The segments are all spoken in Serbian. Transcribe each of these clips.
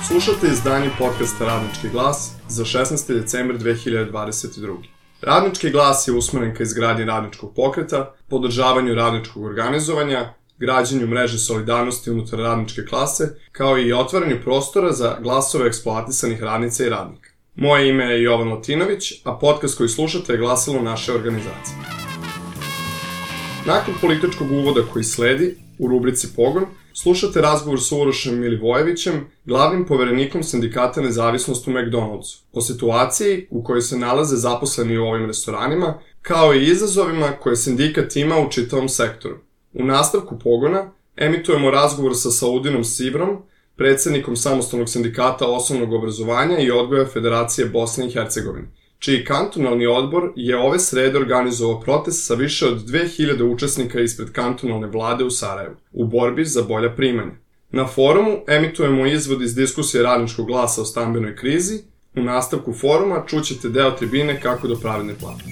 Slušate izdanje podcasta Radnički glas za 16. decembar 2022. Radnički glas je usmeren ka izgradnji radničkog pokreta, podržavanju radničkog organizovanja, građenju mreže solidarnosti unutar radničke klase, kao i otvaranju prostora za glasove eksploatisanih radnica i radnika. Moje ime je Jovan Latinović, a podcast koji slušate je glasilo naše organizacije. Nakon političkog uvoda koji sledi, u rubrici Pogon, slušate razgovor sa Urošem Milivojevićem, glavnim poverenikom Sindikata Nezavisnost u McDonald'su, o situaciji u kojoj se nalaze zaposleni u ovim restoranima, kao i izazovima koje sindikat ima u čitavom sektoru. U nastavku Pogona emitujemo razgovor sa Saudinom Sivrom, predsednikom Samostalnog sindikata osnovnog obrazovanja i odgoja Federacije Bosne i Hercegovine, čiji kantonalni odbor je ove srede organizovao protest sa više od 2000 učesnika ispred kantonalne vlade u Sarajevu, u borbi za bolja primanja. Na forumu emitujemo izvod iz diskusije Radničkog glasa o stambenoj krizi. U nastavku foruma čućete deo tribine kako do pravedne plate.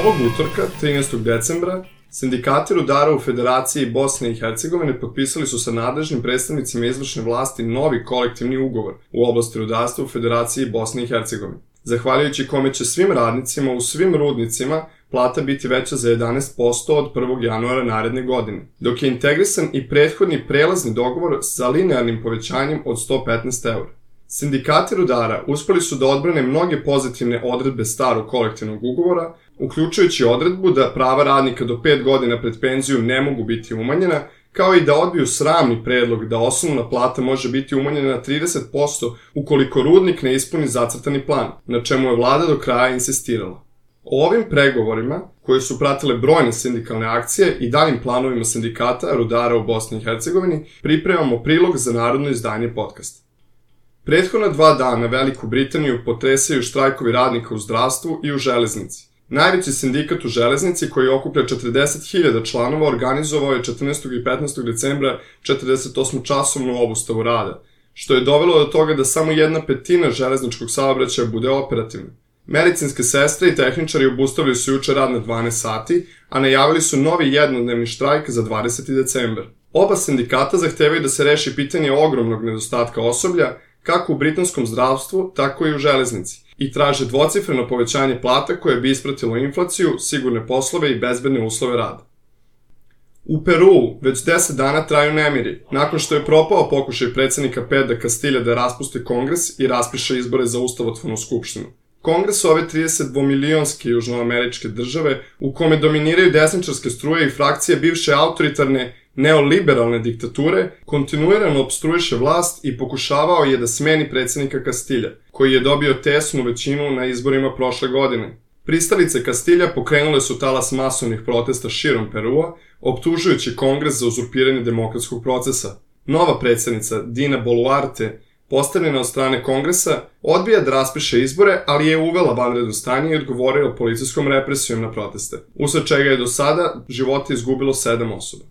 Ovog utorka, 13. decembra, sindikati rudara u Federaciji Bosne i Hercegovine potpisali su sa nadležnim predstavnicima izvršne vlasti novi kolektivni ugovor u oblasti rudarstva u Federaciji Bosne i Hercegovine, zahvaljujući kome će svim radnicima u svim rudnicima plata biti veća za 11% od 1. januara naredne godine, dok je integrisan i prethodni prelazni dogovor sa linearnim povećanjem od 115 €. Sindikati rudara uspeli su da odbrane mnoge pozitivne odredbe starog kolektivnog ugovora, uključujući odredbu da prava radnika do 5 godina pred penziju ne mogu biti umanjena, kao i da odbiju sramni predlog da osnovna plata može biti umanjena na 30% ukoliko rudnik ne ispuni zacrtani plan, na čemu je vlada do kraja insistirala. O ovim pregovorima, koje su pratile brojne sindikalne akcije i daljim planovima sindikata rudara u Bosni i Hercegovini, pripremamo prilog za narodno izdanje podcasta. Prethodna 2 dana Veliku Britaniju potresaju štrajkovi radnika u zdravstvu i u železnici. Najveći sindikat u železnici, koji okuplja 40.000 članova, organizovao je 14. i 15. decembra 48-časovnu obustavu rada, što je dovelo do toga da samo 1/5 železničkog saobraćaja bude operativna. Medicinske sestre i tehničari obustavili su juče rad na 12 sati, a najavili su novi jednodnevni štrajk za 20. decembar. Oba sindikata zahtevaju da se reši pitanje ogromnog nedostatka osoblja, kako u britanskom zdravstvu, tako i u železnici, i traže dvocifreno povećanje plata koje bi ispratilo inflaciju, sigurne poslove i bezbedne uslove rada. U Peruu već 10 dana traju nemiri, nakon što je propao pokušaj predsednika Pedra Castilja da raspusti kongres i raspiše izbore za ustavotvornu skupštinu. Kongres ove 32-milionske južnoameričke države, u kome dominiraju desničarske struje i frakcije bivše autoritarne neoliberalne diktature, kontinuirano opstruiše vlast i pokušavao je da smeni predsednika Castilja, koji je dobio tesnu većinu na izborima prošle godine. Pristalice Castilja pokrenule su talas masovnih protesta širom Perua, optužujući kongres za uzurpiranje demokratskog procesa. Nova predsednica Dina Boluarte, postavljena od strane kongresa, odbija da raspiše izbore, ali je uvela vanredno stanje i odgovorila policijskom represijom na proteste, usled čega je do sada živote izgubilo 7 osoba.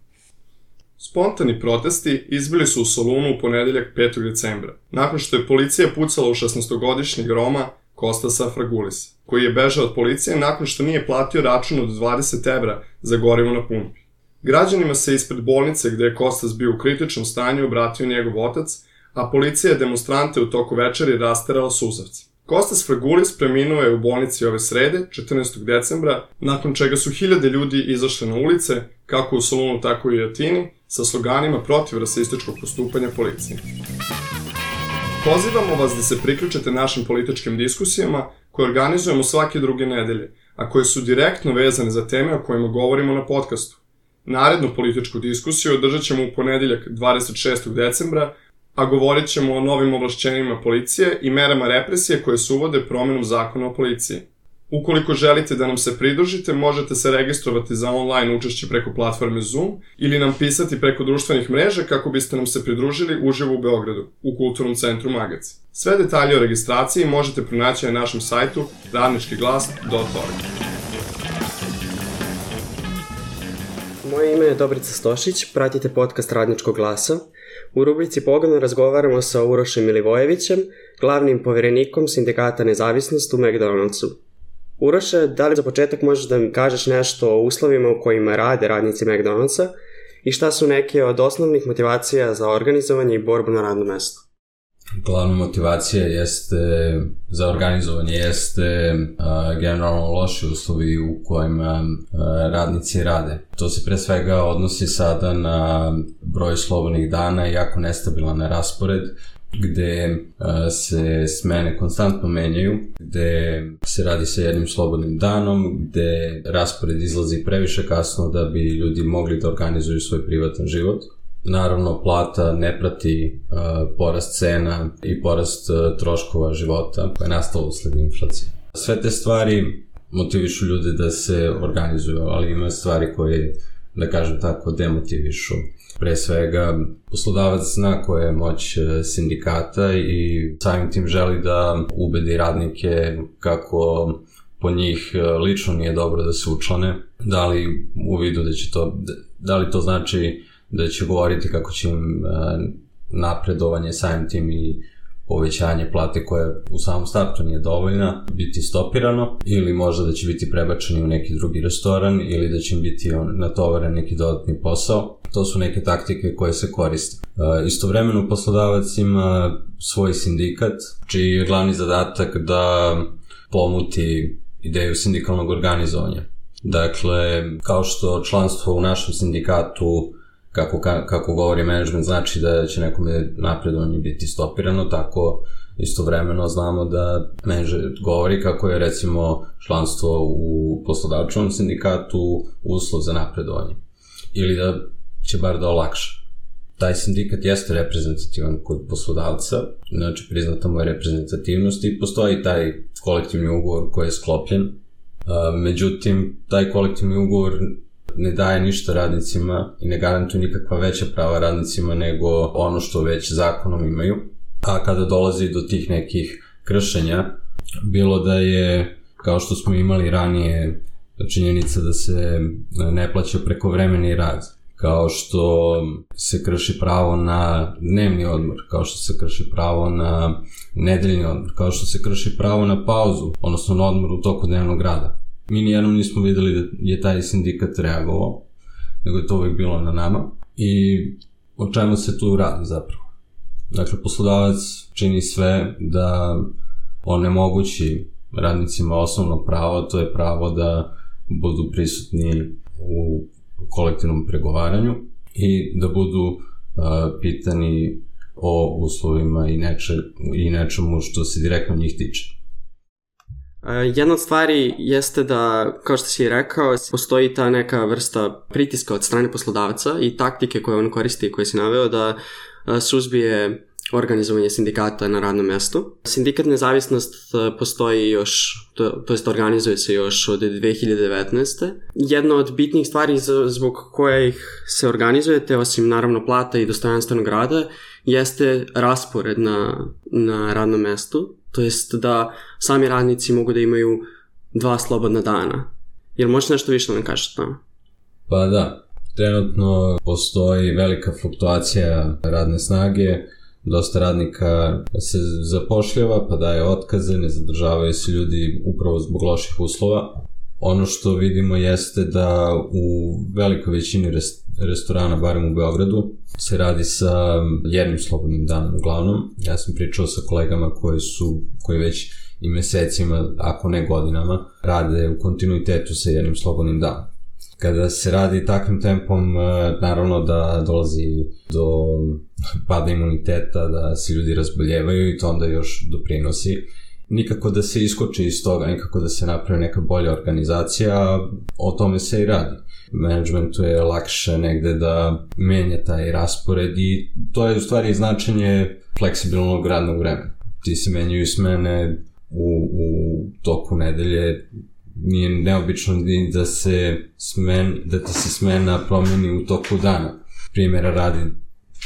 Spontani protesti izbili su u Solunu u ponedeljak 5. decembra, nakon što je policija pucala u 16-godišnjeg Roma Kostasa Fragulisa, koji je bežao od policije nakon što nije platio račun od 20 € za gorivo na pumpi. Građanima se ispred bolnice gde je Kostas bio u kritičnom stanju obratio njegov otac, a policija je demonstrante u toku večeri rasterala suzavci. Kostas Fragulis preminuo je u bolnici ove srede, 14. decembra, nakon čega su hiljade ljudi izašle na ulice, kako u Solunu, tako i u Atini, sa sloganima protiv rasističkog postupanja policije. Pozivamo vas da se priključite našim političkim diskusijama koje organizujemo svake druge nedelje, a koje su direktno vezane za teme o kojima govorimo na podcastu. Narednu političku diskusiju održat ćemo u ponedeljak 26. decembra, a govorit ćemo o novim ovlašćenjima policije i merama represije koje se uvode promenom zakona o policiji. Ukoliko želite da nam se pridružite, možete se registrovati za online učešće preko platforme Zoom ili nam pisati preko društvenih mreža kako biste nam se pridružili uživo u Beogradu, u Kulturnom centru Magac. Sve detalje o registraciji možete pronaći na našem sajtu radničkiglas.org. Moje ime je Dobrica Stošić, pratite podcast Radničkog glasa. U rubrici Pogon razgovaramo sa Urošem Milivojevićem, glavnim poverenikom Sindikata Nezavisnost u McDonald'su. Uroše, da li za početak možeš da mi kažeš nešto o uslovima u kojima rade radnici McDonald'sa i šta su neke od osnovnih motivacija za organizovanje i borbu na radnom mestu? Glavna motivacija za organizovanje jeste generalno loši uslovi u kojima radnici rade. To se pre svega odnosi sada na broj slobodnih dana i jako nestabilan raspored, gde se smene konstantno menjaju, gde se radi sa jednim slobodnim danom, gde raspored izlazi previše kasno da bi ljudi mogli da organizuju svoj privatan život. Naravno, plata ne prati porast cena i porast troškova života koja je nastala usled inflacije. Sve te stvari motivišu ljude da se organizuju, ali ima stvari koje, da kažem tako, demotivišu. Pre svega, poslodavac zna koja je moć sindikata i samim tim želi da ubedi radnike kako po njih lično nije dobro da se učlane, da li u vidu da li to znači da će govoriti kako će im napredovanje samim tim i povećanje plate koja u samom startu nije dovoljna biti stopirano, ili možda da će biti prebačeni u neki drugi restoran, ili da će im biti natovaren neki dodatni posao. To su neke taktike koje se koriste. Istovremeno poslodavac ima svoj sindikat, čiji je glavni zadatak da pomuti ideju sindikalnog organizovanja. Dakle, kao što članstvo u našem sindikatu, kako govori menadžment, znači da će nekome napredovanje biti stopirano, tako istovremeno znamo da menadžment govori kako je recimo članstvo u poslodavčevom sindikatu uslov za napredovanje. Ili da će bar da olakša. Taj sindikat jeste reprezentativan kod poslodavca, znači priznata mu je reprezentativnost i postoji taj kolektivni ugovor koji je sklopljen. Međutim, taj kolektivni ugovor ne daje ništa radnicima i ne garantuje nikakva veća prava radnicima nego ono što već zakonom imaju. A kada dolazi do tih nekih kršenja, bilo da je, kao što smo imali ranije, činjenica da se ne plaća prekovremeni rad, kao što se krši pravo na dnevni odmor, kao što se krši pravo na nedeljni odmor, kao što se krši pravo na pauzu, odnosno na odmor u toku dnevnog rada. Mi nijednom nismo videli da je taj sindikat reagovao, nego je to uvijek bilo na nama. I o čemu se tu radi zapravo? Dakle, poslodavac čini sve da onemogući radnicima osnovno pravo, to je pravo da budu prisutni u kolektivnom pregovaranju i da budu pitani o uslovima i nečemu što se direktno njih tiče. Jedna od stvari jeste da, kao što si rekao, postoji ta neka vrsta pritiska od strane poslodavca i taktike koje on koristi i koje si naveo da suzbije organizovanje sindikata na radnom mestu. Sindikat Nezavisnost postoji još, to jest organizuje se još od 2019. Jedna od bitnih stvari zbog kojih se organizujete, osim naravno plata i dostojanstvenog rada, jeste raspored na radnom mestu. To jest da sami radnici mogu da imaju 2 slobodna dana. Jel možeš nešto više da nam kažeš o tome? Pa da, trenutno postoji velika fluktuacija radne snage, dosta radnika se zapošljava pa daje otkaze, ne zadržavaju se ljudi upravo zbog loših uslova. Ono što vidimo jeste da u velikoj većini restorana, barem u Beogradu, se radi sa jednim slobodnim danom uglavnom. Ja sam pričao sa kolegama koji već i mesecima, ako ne godinama, rade u kontinuitetu sa jednim slobodnim danom. Kada se radi takvim tempom, naravno da dolazi do pada imuniteta, da se ljudi razboljevaju i to onda još doprinosi. Nikako da se iskoči iz toga, nikako da se napravi neka bolja organizacija, o tome se i radi. Managementu je lakše negde da menja taj raspored i to je u stvari značenje fleksibilnog radnog vremena. Ti se menjaju smene u toku nedelje, nije neobično da ti se smena promeni u toku dana. Primjera radi,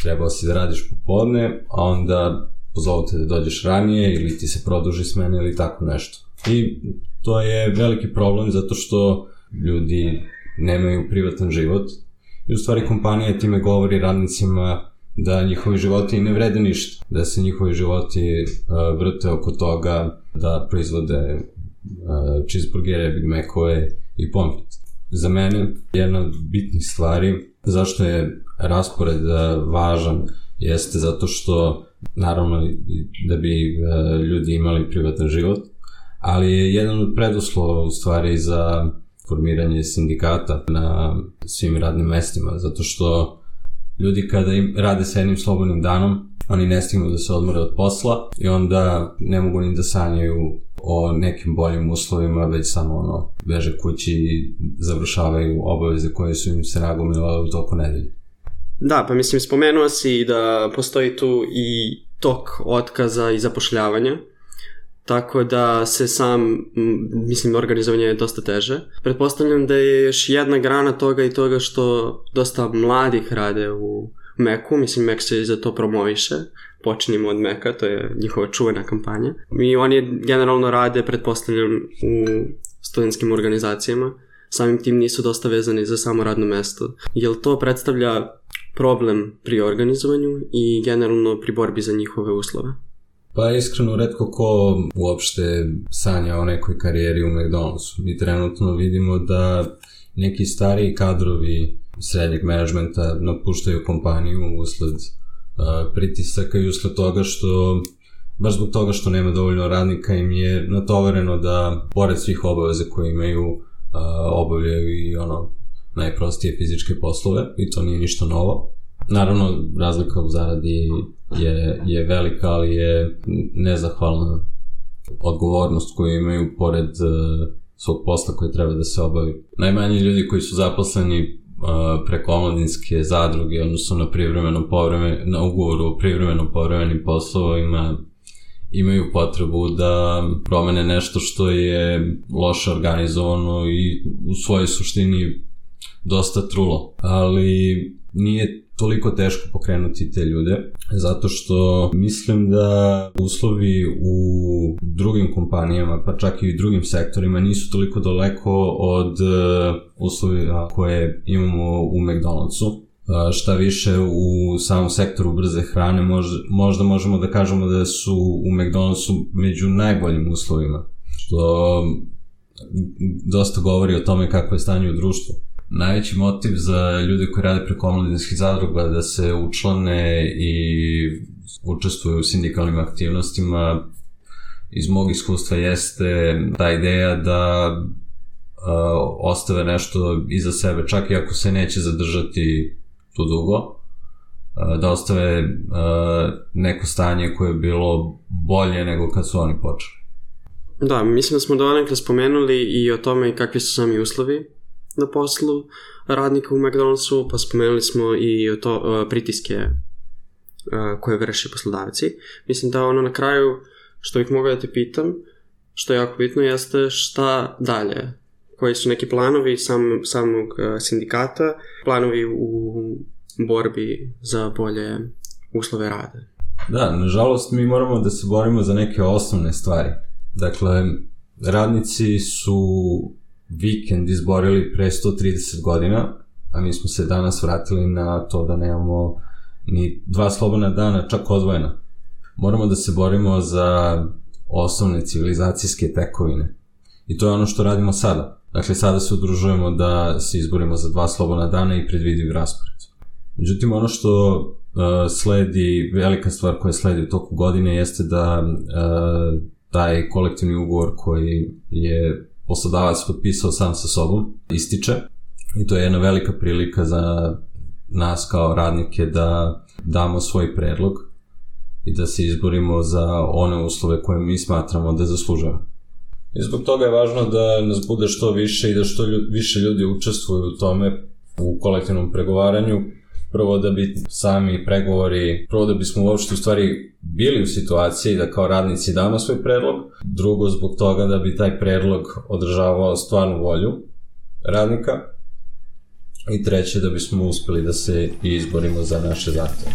trebao si da radiš popodne, a onda pozovu te da dođeš ranije ili ti se produži smena ili tako nešto. I to je veliki problem zato što ljudi nemaju privatan život i u stvari kompanija time govori radnicima da njihovi životi ne vrede ništa, da se njihovi životi vrte oko toga da proizvode cheeseburgere, Big Macove i pomfrit. za mene jedna od bitnih stvari zašto je raspored važan jeste zato što naravno da bi ljudi imali privatan život, ali je jedan od preduslova u stvari za formiranje sindikata na svim radnim mestima, zato što ljudi kada rade sa jednim slobodnim danom, oni ne stignu da se odmore od posla i onda ne mogu ni da sanjaju o nekim boljim uslovima, već samo beže kući i završavaju obaveze koje su im se nagomilale u toku nedelje. Da, pa mislim, spomenuo si da postoji tu i tok otkaza i zapošljavanja, tako da se organizovanje je dosta teže. Pretpostavljam da je još jedna grana toga i toga što dosta mladih rade u Meku, mislim Mek se za to promoviše, počinimo od Meka, to je njihova čuvena kampanja. I oni generalno rade, pretpostavljam, u studentskim organizacijama, samim tim nisu dosta vezani za samo radno mesto. Jel to predstavlja problem pri organizovanju i generalno pri borbi za njihove uslove? Pa iskreno, retko ko uopšte sanja o nekoj karijeri u McDonald'su. Mi trenutno vidimo da neki stariji kadrovi srednjeg menadžmenta napuštaju kompaniju usled pritisaka i usled toga što, baš zbog toga što nema dovoljno radnika, im je natovareno da, pored svih obaveza koje imaju, obavljaju i najprostije fizičke poslove, i to nije ništa novo. Naravno, razlika u zaradi je velika, ali je nezahvalna odgovornost koju imaju pored svog posla koji treba da se obavi. Najmanji ljudi koji su zaposleni preko omladinske zadruge, odnosno na ugovoru o privremeno povremenim poslovima, imaju potrebu da promene nešto što je loše organizovano i u svojoj suštini dosta trulo. Ali nije toliko teško pokrenuti te ljude, zato što mislim da uslovi u drugim kompanijama, pa čak i u drugim sektorima, nisu toliko daleko od uslova koje imamo u McDonald'su. Šta više, u samom sektoru brze hrane možda možemo da kažemo da su u McDonald'su među najboljim uslovima, što dosta govori o tome kako je stanje u društvu. Najveći motiv za ljude koji rade preko omladinskih zadruga da se učlane i učestvuju u sindikalnim aktivnostima, iz mog iskustva jeste ta ideja da ostave nešto iza sebe, čak i ako se neće zadržati tu dugo, da ostave neko stanje koje je bilo bolje nego kad su oni počeli. Da, mislim da smo donekle spomenuli i o tome kakvi su sami uslovi na poslu radnika u McDonald'su, pa spomenuli smo i pritiske koje vrši poslodavci. Mislim da na kraju što bih mogao da te pitam, što je jako bitno, jeste šta dalje? Koji su neki planovi samog sindikata, planovi u borbi za bolje uslove rada? Da, nažalost mi moramo da se borimo za neke osnovne stvari. Dakle, radnici su vikend izborili pre 130 godina, a mi smo se danas vratili na to da nemamo ni 2 slobodna dana, čak odvojena. Moramo da se borimo za osnovne civilizacijske tekovine. I to je ono što radimo sada. Dakle, sada se udružujemo da se izborimo za 2 slobodna dana i predvidiv raspored. Međutim, ono što sledi, velika stvar koja sledi u toku godine jeste da taj kolektivni ugovor koji je poslodavac potpisao sam sa sobom ističe, i to je jedna velika prilika za nas kao radnike da damo svoj predlog i da se izborimo za one uslove koje mi smatramo da zaslužujemo. I zbog toga je važno da nas bude što više i da što više ljudi učestvuju u tome, u kolektivnom pregovaranju. Prvo da bi sami pregovori, prvo da bismo uopšte u stvari bili u situaciji da kao radnici damo svoj predlog, drugo zbog toga da bi taj predlog održavao stvarnu volju radnika, i treće da bismo uspeli da se izborimo za naše zahteve.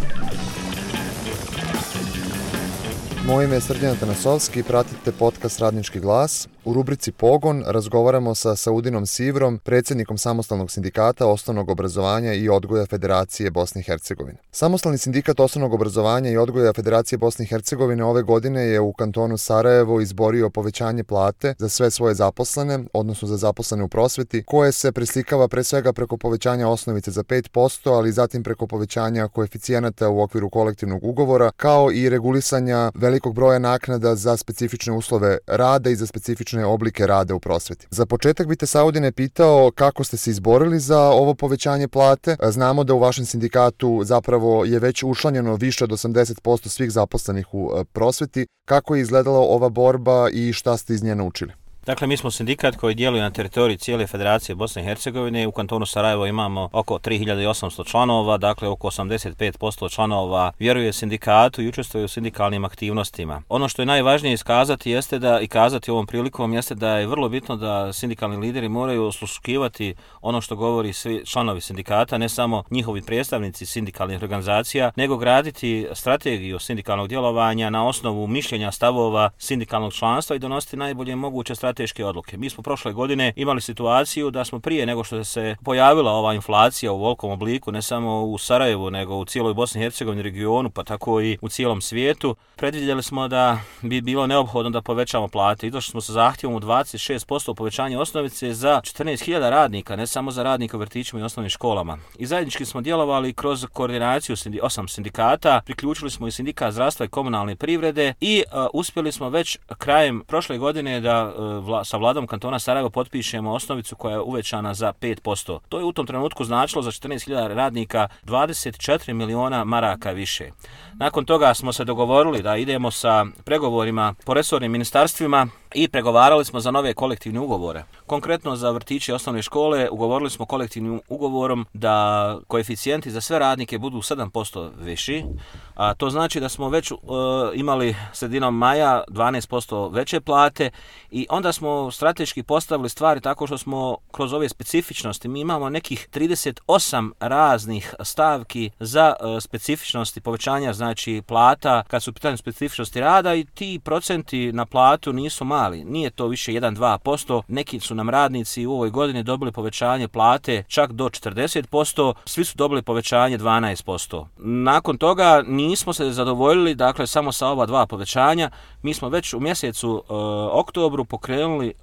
Moje ime je Srđan Tanasovski i pratite podcast Radnički glas. U rubrici Pogon razgovaramo sa Saudinom Sivrom, predsjednikom Samostalnog sindikata osnovnog obrazovanja i odgoja Federacije Bosne i Hercegovine. Samostalni sindikat osnovnog obrazovanja i odgoja Federacije Bosne i Hercegovine ove godine je u kantonu Sarajevo izborio povećanje plate za sve svoje zaposlene, odnosno za zaposlene u prosveti, koje se preslikava pre svega preko povećanja osnovice za 5%, ali zatim preko povećanja koeficijenata u okviru kolektivnog ugovora, kao i regulisanja velikog broja naknada za specifične uslove rada i za specifične oblike rada u prosveti. Za početak bi te, Saudine, pitao kako ste se izborili za ovo povećanje plate. Znamo da u vašem sindikatu zapravo je već učlanjeno više od 80% svih zaposlenih u prosveti. Kako je izgledala ova borba i šta ste iz nje naučili? Dakle, mi smo sindikat koji djeluje na teritoriji cijele Federacije Bosne i Hercegovine. U kantonu Sarajevo imamo oko 3800 članova, dakle oko 85% članova vjeruje sindikatu i učestvuje u sindikalnim aktivnostima. Ono što je najvažnije iskazati jeste da, i kazati ovom prilikom, jeste da je vrlo bitno da sindikalni lideri moraju osluškivati ono što govori svi članovi sindikata, ne samo njihovi predstavnici sindikalnih organizacija, nego graditi strategiju sindikalnog djelovanja na osnovu mišljenja, stavova sindikalnog članstva i donositi najbolje moguće strateške odluke. Mi smo prošle godine imali situaciju da smo prije nego što se pojavila ova inflacija u velikom obliku, ne samo u Sarajevu, nego u cijeloj Bosni i Hercegovini regionu, pa tako i u cijelom svijetu, predvidjeli smo da bi bilo neophodno da povećamo plate. I došli smo sa zahtjevom u 26% povećanja osnovice za 14.000 radnika, ne samo za radnika u vrtićima i osnovnim školama. I zajednički smo djelovali kroz koordinaciju 8 sindikata, priključili smo i sindikat zdravstva i komunalne privrede i uspjeli smo već krajem prošle godine da sa vladom kantona Sarajevo potpišemo osnovicu koja je uvećana za 5%. To je u tom trenutku značilo za 14.000 radnika 24 miliona maraka više. Nakon toga smo se dogovorili da idemo sa pregovorima po resornim ministarstvima i pregovarali smo za nove kolektivne ugovore. Konkretno za vrtiće i osnovne škole ugovorili smo kolektivnim ugovorom da koeficijenti za sve radnike budu 7% viši, a to znači da smo već imali sredinom maja 12% veće plate i onda smo strateški postavili stvari tako što smo kroz ove specifičnosti, mi imamo nekih 38 raznih stavki za specifičnosti povećanja, znači plata kad su pitanje specifičnosti rada i ti procenti na platu nisu mali. Nije to više 1-2%, neki su nam radnici u ovoj godini dobili povećanje plate čak do 40%, svi su dobili povećanje 12%. Nakon toga nismo se zadovoljili, dakle, samo sa ova dva povećanja. Mi smo već u mjesecu oktobru pokrenuli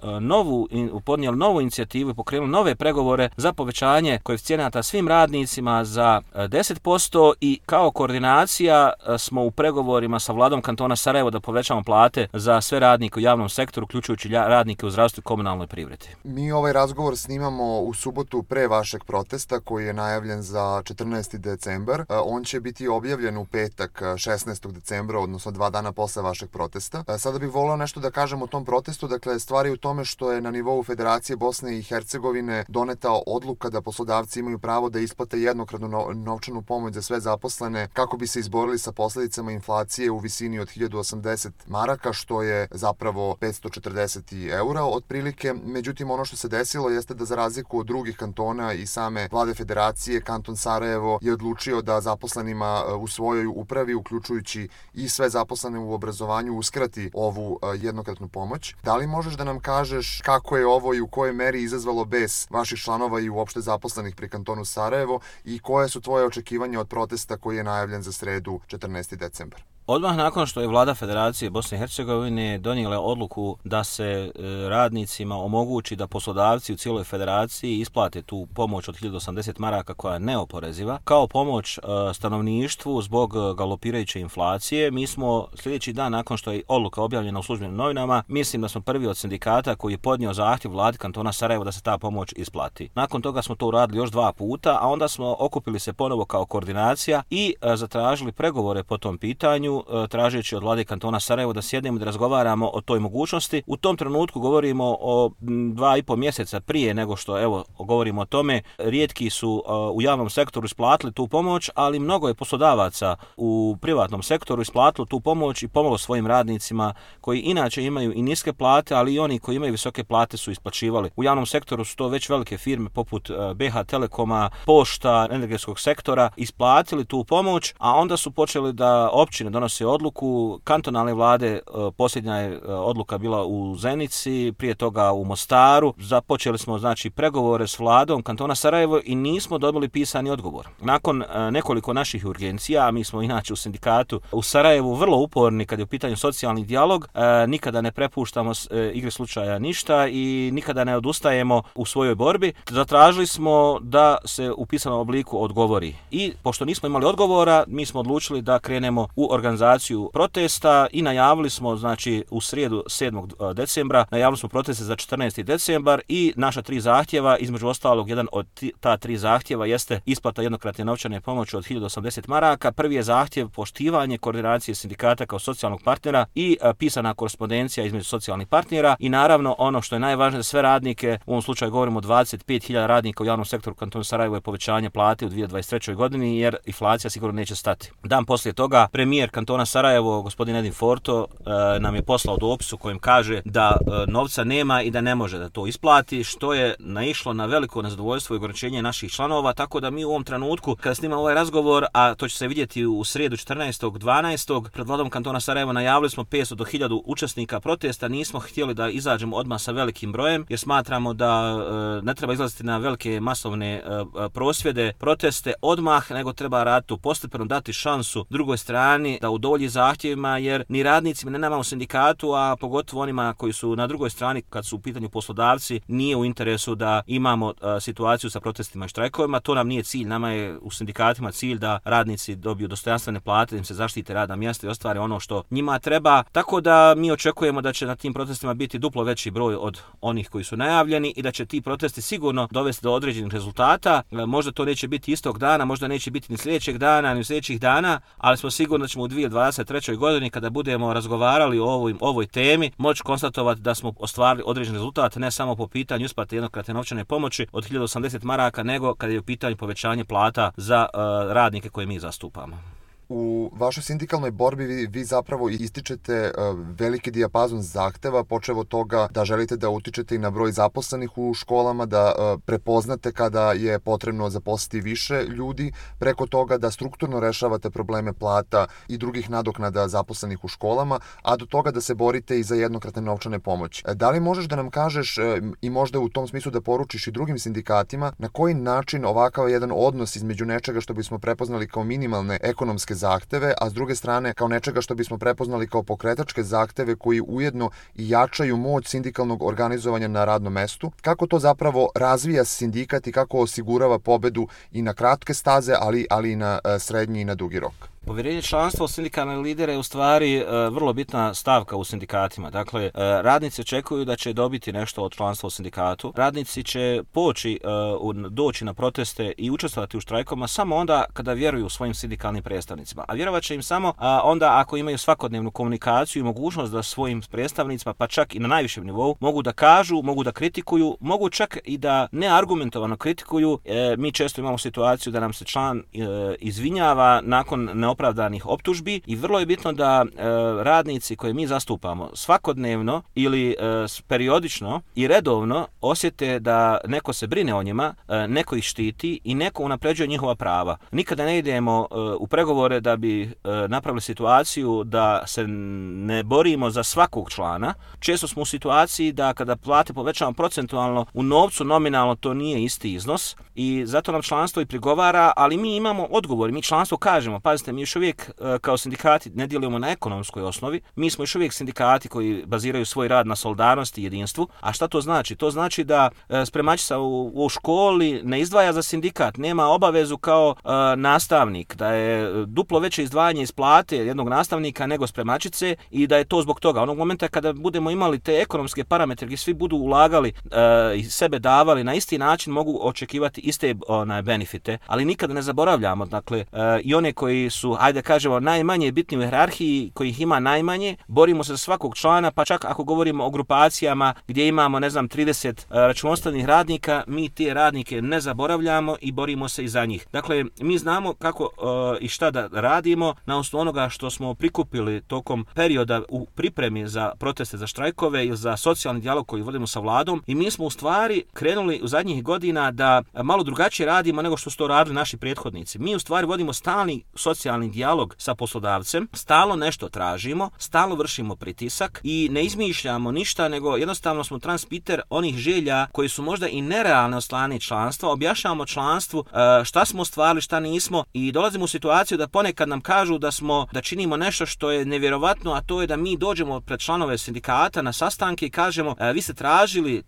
podnijeli novu inicijativu i pokrenuli nove pregovore za povećanje koeficijenata svim radnicima za 10% i kao koordinacija smo u pregovorima sa vladom kantona Sarajevo da povećamo plate za sve radnike u javnom sektoru, uključujući radnike u zdravstvu i komunalnoj privredi. Mi ovaj razgovor snimamo u subotu pre vašeg protesta koji je najavljen za 14. decembar. On će biti objavljen u petak 16. decembra, odnosno 2 dana posle vašeg protesta. Sada bih voleo nešto da kažem o tom protestu. Dakle, stvari u tome što je na nivou Federacije Bosne i Hercegovine doneta odluka da poslodavci imaju pravo da isplate jednokratnu novčanu pomoć za sve zaposlene kako bi se izborili sa posljedicama inflacije u visini od 1080 maraka, što je zapravo 540 eura otprilike. Međutim, ono što se desilo jeste da za razliku od drugih kantona i same vlade Federacije, kanton Sarajevo je odlučio da zaposlenima u svojoj upravi, uključujući i sve zaposlene u obrazovanju, uskrati ovu jednokratnu pomoć. Da li možeš da nam kažeš kako je ovo i u kojoj meri izazvalo bes vaših članova i uopšte zaposlenih pri kantonu Sarajevo i koje su tvoje očekivanja od protesta koji je najavljen za sredu 14. decembar? Odmah nakon što je vlada Federacije Bosne i Hercegovine donijela odluku da se radnicima omogući da poslodavci u cijeloj federaciji isplate tu pomoć od 1080 maraka koja je neoporeziva, kao pomoć stanovništvu zbog galopirajuće inflacije, mi smo sljedeći dan nakon što je odluka objavljena u službenim novinama, mislim da smo prvi od sindikata koji je podnio zahtjev vladi kantona Sarajevo da se ta pomoć isplati. Nakon toga smo to uradili još 2 puta, a onda smo okupili se ponovo kao koordinacija i zatražili pregovore po tom pitanju, tražeći od vlade kantona Sarajevo da sjednemo i da razgovaramo o toj mogućnosti. U tom trenutku govorimo o 2,5 mjeseca prije nego što govorimo o tome. Rijetki su u javnom sektoru isplatili tu pomoć, ali mnogo je poslodavaca u privatnom sektoru isplatilo tu pomoć i pomoglo svojim radnicima koji inače imaju i niske plate, ali i oni koji imaju visoke plate su isplaćivali. U javnom sektoru su to već velike firme poput BH Telekoma, Pošta, energetskog sektora isplatili tu pomoć, a onda su počeli da općine donose donose odluku. Kantonalne vlade, posljednja je odluka bila u Zenici, prije toga u Mostaru. Započeli smo znači pregovore s vladom kantona Sarajevo i nismo dobili pisani odgovor. Nakon nekoliko naših urgencija, mi smo inače u sindikatu u Sarajevu vrlo uporni kad je u pitanju socijalni dijalog, nikada ne prepuštamo igre slučaja ništa i nikada ne odustajemo u svojoj borbi. Zatražili smo da se u pisanom obliku odgovori. I pošto nismo imali odgovora, mi smo odlučili da krenemo u organizaciju protesta i najavili smo, znači u srijedu 7. decembra, najavili smo proteste za 14. decembar i naša 3 zahtjeva, između ostalog jedan od ta 3 zahtjeva jeste isplata jednokratne novčane pomoći od 1080 maraka. Prvi je zahtjev poštivanje koordinacije sindikata kao socijalnog partnera i pisana korespondencija između socijalnih partnera i naravno ono što je najvažnije za sve radnike, u ovom slučaju govorimo o 25.000 radnika u javnom sektoru kantona Sarajevo, je povećanje plate u 2023. godini jer inflacija sigurno neće stati. Dan poslije toga premijer kantona Sarajevo, gospodin Edin Forto, nam je poslao dopis u kojem kaže da novca nema i da ne može da to isplati, što je naišlo na veliko nezadovoljstvo i ograničenje naših članova, tako da mi u ovom trenutku kada snimamo ovaj razgovor, a to će se vidjeti u srijedu 14.12. pred vladom kantona Sarajevo, najavili smo 500 do 1000 učesnika protesta. Nismo htjeli da izađemo odmah sa velikim brojem jer smatramo da ne treba izlaziti na velike masovne prosvjede, proteste odmah, nego treba raditi postepeno, dati šansu drugoj strani da udovolji zahtjevima, jer ni radnicima ne nama u sindikatu, a pogotovo onima koji su na drugoj strani kad su u pitanju poslodavci, nije u interesu da imamo situaciju sa protestima i štrajkovima. To nam nije cilj. Nama je u sindikatima cilj da radnici dobiju dostojanstvene plate, da im se zaštite radna mjesta i ostvare ono što njima treba. Tako da mi očekujemo da će na tim protestima biti duplo veći broj od onih koji su najavljeni i da će ti protesti sigurno dovesti do određenih rezultata. Možda to neće biti istog dana, možda neće biti ni sljedećeg dana, ni sljedećih dana, ali smo sigurni da ćemo u 2023. godini kada budemo razgovarali o ovoj temi moći konstatovati da smo ostvarili određen rezultat, ne samo po pitanju isplate jednokratne novčane pomoći od 1080 maraka, nego kada je u pitanju povećanje plata za radnike koje mi zastupamo. U vašoj sindikalnoj borbi vi zapravo ističete veliki dijapazon zahteva, počev od toga da želite da utičete i na broj zaposlenih u školama, da prepoznate kada je potrebno zaposliti više ljudi, preko toga da strukturno rešavate probleme plata i drugih nadoknada zaposlenih u školama, a do toga da se borite i za jednokratne novčane pomoći. Da li možeš da nam kažeš i možda u tom smislu da poručiš i drugim sindikatima na koji način ovakav jedan odnos između nečega što bismo prepoznali kao minimalne ekonomske zahteve, a s druge strane kao nečega što bismo prepoznali kao pokretačke zahteve koji ujedno i jačaju moć sindikalnog organizovanja na radnom mestu, kako to zapravo razvija sindikat i kako osigurava pobedu i na kratke staze, ali i na srednji i na dugi rok? Povjerenje članstva u sindikalne lidere je u stvari vrlo bitna stavka u sindikatima. Dakle, radnici očekuju da će dobiti nešto od članstva u sindikatu. Radnici će doći na proteste i učestvovati u štrajkovima samo onda kada vjeruju svojim sindikalnim predstavnicima. A vjerovat će im samo onda ako imaju svakodnevnu komunikaciju i mogućnost da svojim predstavnicima, pa čak i na najvišem nivou, mogu da kažu, mogu da kritikuju, mogu čak i da neargumentovano kritikuju. Mi često imamo situaciju da nam se član izvinjava nakon neopravdanih optužbi i vrlo je bitno da radnici koje mi zastupamo svakodnevno ili periodično i redovno osjete da neko se brine o njima, neko ih štiti i neko unapređuje njihova prava. Nikada ne idemo u pregovore da bi napravili situaciju da se ne borimo za svakog člana. Često smo u situaciji da kada plate povećamo procentualno, u novcu nominalno to nije isti iznos i zato nam članstvo i prigovara, ali mi imamo odgovor, mi članstvo kažemo, pazite, mi još uvijek kao sindikati ne djelujemo na ekonomskoj osnovi, mi smo još uvijek sindikati koji baziraju svoj rad na solidarnosti i jedinstvu. A šta to znači? To znači da spremačica u školi ne izdvaja za sindikat, nema obavezu kao nastavnik, da je duplo veće izdvajanje iz plate jednog nastavnika nego spremačice i da je to zbog toga. Onog momenta kada budemo imali te ekonomske parametre gdje svi budu ulagali i sebe davali na isti način, mogu očekivati iste benefite, ali nikada ne zaboravljamo, dakle, i one koji su, ajde kažemo, najmanje bitni u hijerarhiji, kojih ima najmanje, borimo se za svakog člana, pa čak ako govorimo o grupacijama gdje imamo, 30 računovodstvenih radnika, mi te radnike ne zaboravljamo i borimo se i za njih. Dakle, mi znamo kako i šta da radimo na osnovu onoga što smo prikupili tokom perioda u pripremi za proteste, za štrajkove ili za socijalni dijalog koji vodimo sa vladom, i mi smo u stvari krenuli u zadnjih godina da malo drugačije radimo nego što su to radili naši prethodnici. Mi u stvari vodimo stalni socijalni sindikalni dijalog sa poslodavcem, stalno nešto tražimo, stalno vršimo pritisak i ne izmišljamo ništa, nego jednostavno smo transpiter onih želja koji su možda i nerealne od strane članstva, objašnjavamo članstvu šta smo ostvarili, šta nismo i dolazimo u situaciju da ponekad nam kažu da činimo nešto što je nevjerovatno, a to je da mi dođemo pred članove sindikata na sastanke i kažemo vi ste tražili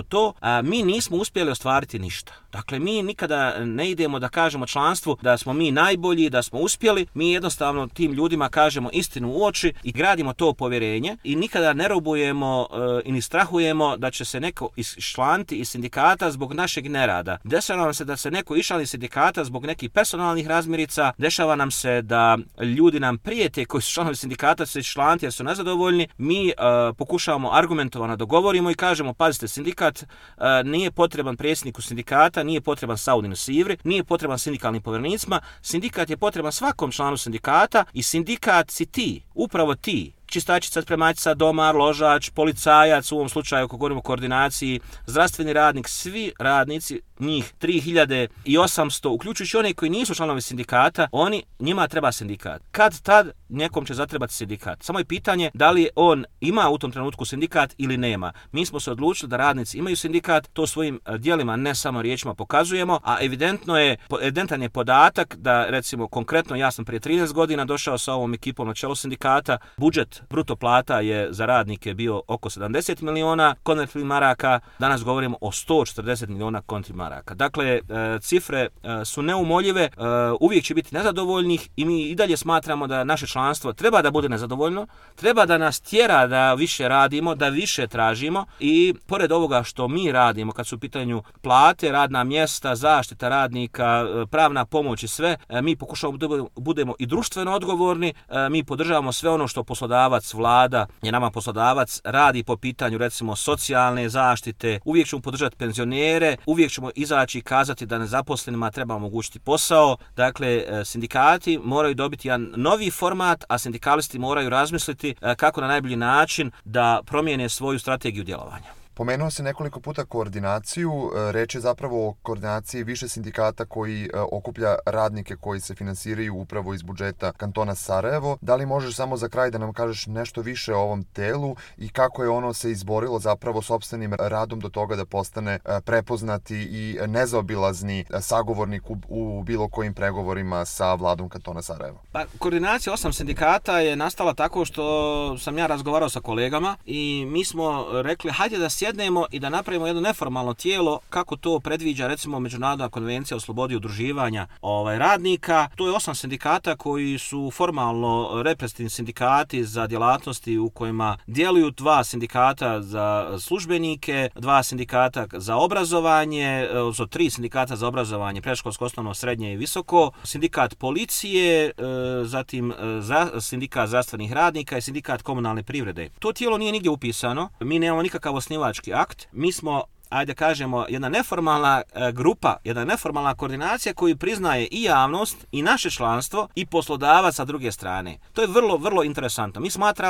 to, a mi nismo uspjeli ostvariti ništa. Dakle, mi nikada ne idemo da kažemo članstvu da smo mi najbolji, da smo uspjeli, mi jednostavno tim ljudima kažemo istinu u oči i gradimo to povjerenje i nikada ne robujemo i ni strahujemo da će se neko iščlaniti iz sindikata zbog našeg nerada. Dešava nam se da se neko iščlani iz sindikata zbog nekih personalnih razmirica, dešava nam se da ljudi nam prijete koji su članovi sindikata se iščlaniti jer su nezadovoljni, mi pokušavamo argumentovano dogovorimo i kažemo pazite, sindikat nije potreban predsjedniku sindikata, nije potreban Saudinu Sivri, nije potreban sindikalnim povjerenicima, sindikat je potreban svakom članu sindikata i sindikat si ti, upravo ti. Čistačica, spremačica, domar, ložač, policajac, u ovom slučaju ako govorimo o koordinaciji, zdravstveni radnik, svi radnici, njih 3800, uključujući one koji nisu članovi sindikata, njima treba sindikat. Kad tad nekom će zatrebati sindikat. Samo je pitanje da li on ima u tom trenutku sindikat ili nema. Mi smo se odlučili da radnici imaju sindikat, to svojim djelima, ne samo riječima pokazujemo, a evidentan je podatak da recimo konkretno ja sam prije 13 godina došao sa ovom ekipom na čelo sindikata, budžet bruto plata je za radnike bio oko 70 miliona konvertibilnih maraka, danas govorimo o 140 miliona konvertibilnih maraka. Dakle, cifre su neumoljive, uvijek će biti nezadovoljnih i mi i dalje smatramo da naše članstvo treba da bude nezadovoljno, treba da nas tjera da više radimo, da više tražimo i pored ovoga što mi radimo kad su u pitanju plate, radna mjesta, zaštita radnika, pravna pomoć i sve, mi pokušavamo da budemo i društveno odgovorni, mi podržavamo sve ono što poslodavac, vlada je nama poslodavac, radi po pitanju recimo socijalne zaštite, uvijek ćemo podržati penzionere, uvijek ćemo izaći i kazati da nezaposlenima treba omogućiti posao. Dakle, sindikati moraju dobiti jedan novi format, a sindikalisti moraju razmisliti kako na najbolji način da promijene svoju strategiju djelovanja. Pomenuo se nekoliko puta koordinaciju, reč je zapravo o koordinaciji više sindikata koji okuplja radnike koji se finansiraju upravo iz budžeta kantona Sarajevo. Da li možeš samo za kraj da nam kažeš nešto više o ovom telu i kako je ono se izborilo zapravo sopstvenim radom do toga da postane prepoznati i nezaobilazni sagovornik u bilo kojim pregovorima sa vladom kantona Sarajevo? Pa, koordinacija 8 sindikata je nastala tako što sam ja razgovarao sa kolegama i mi smo rekli hajde da sjednemo i da napravimo jedno neformalno tijelo kako to predviđa recimo Međunarodna konvencija o slobodi udruživanja radnika. To je 8 sindikata koji su formalno reprezentativni sindikati za djelatnosti u kojima djeluju 2 sindikata za službenike, 2 sindikata za obrazovanje, 3 sindikata za obrazovanje, predškolsko, osnovno, srednje i visoko, sindikat policije, zatim sindikat zdravstvenih radnika i sindikat komunalne privrede. To tijelo nije nigdje upisano, mi nemamo nikakav osnivački akt, mi smo ajde kažemo, jedna neformalna grupa, jedna neformalna koordinacija koju priznaje i javnost, i naše članstvo, i poslodavac sa druge strane. To je vrlo, vrlo interesantno.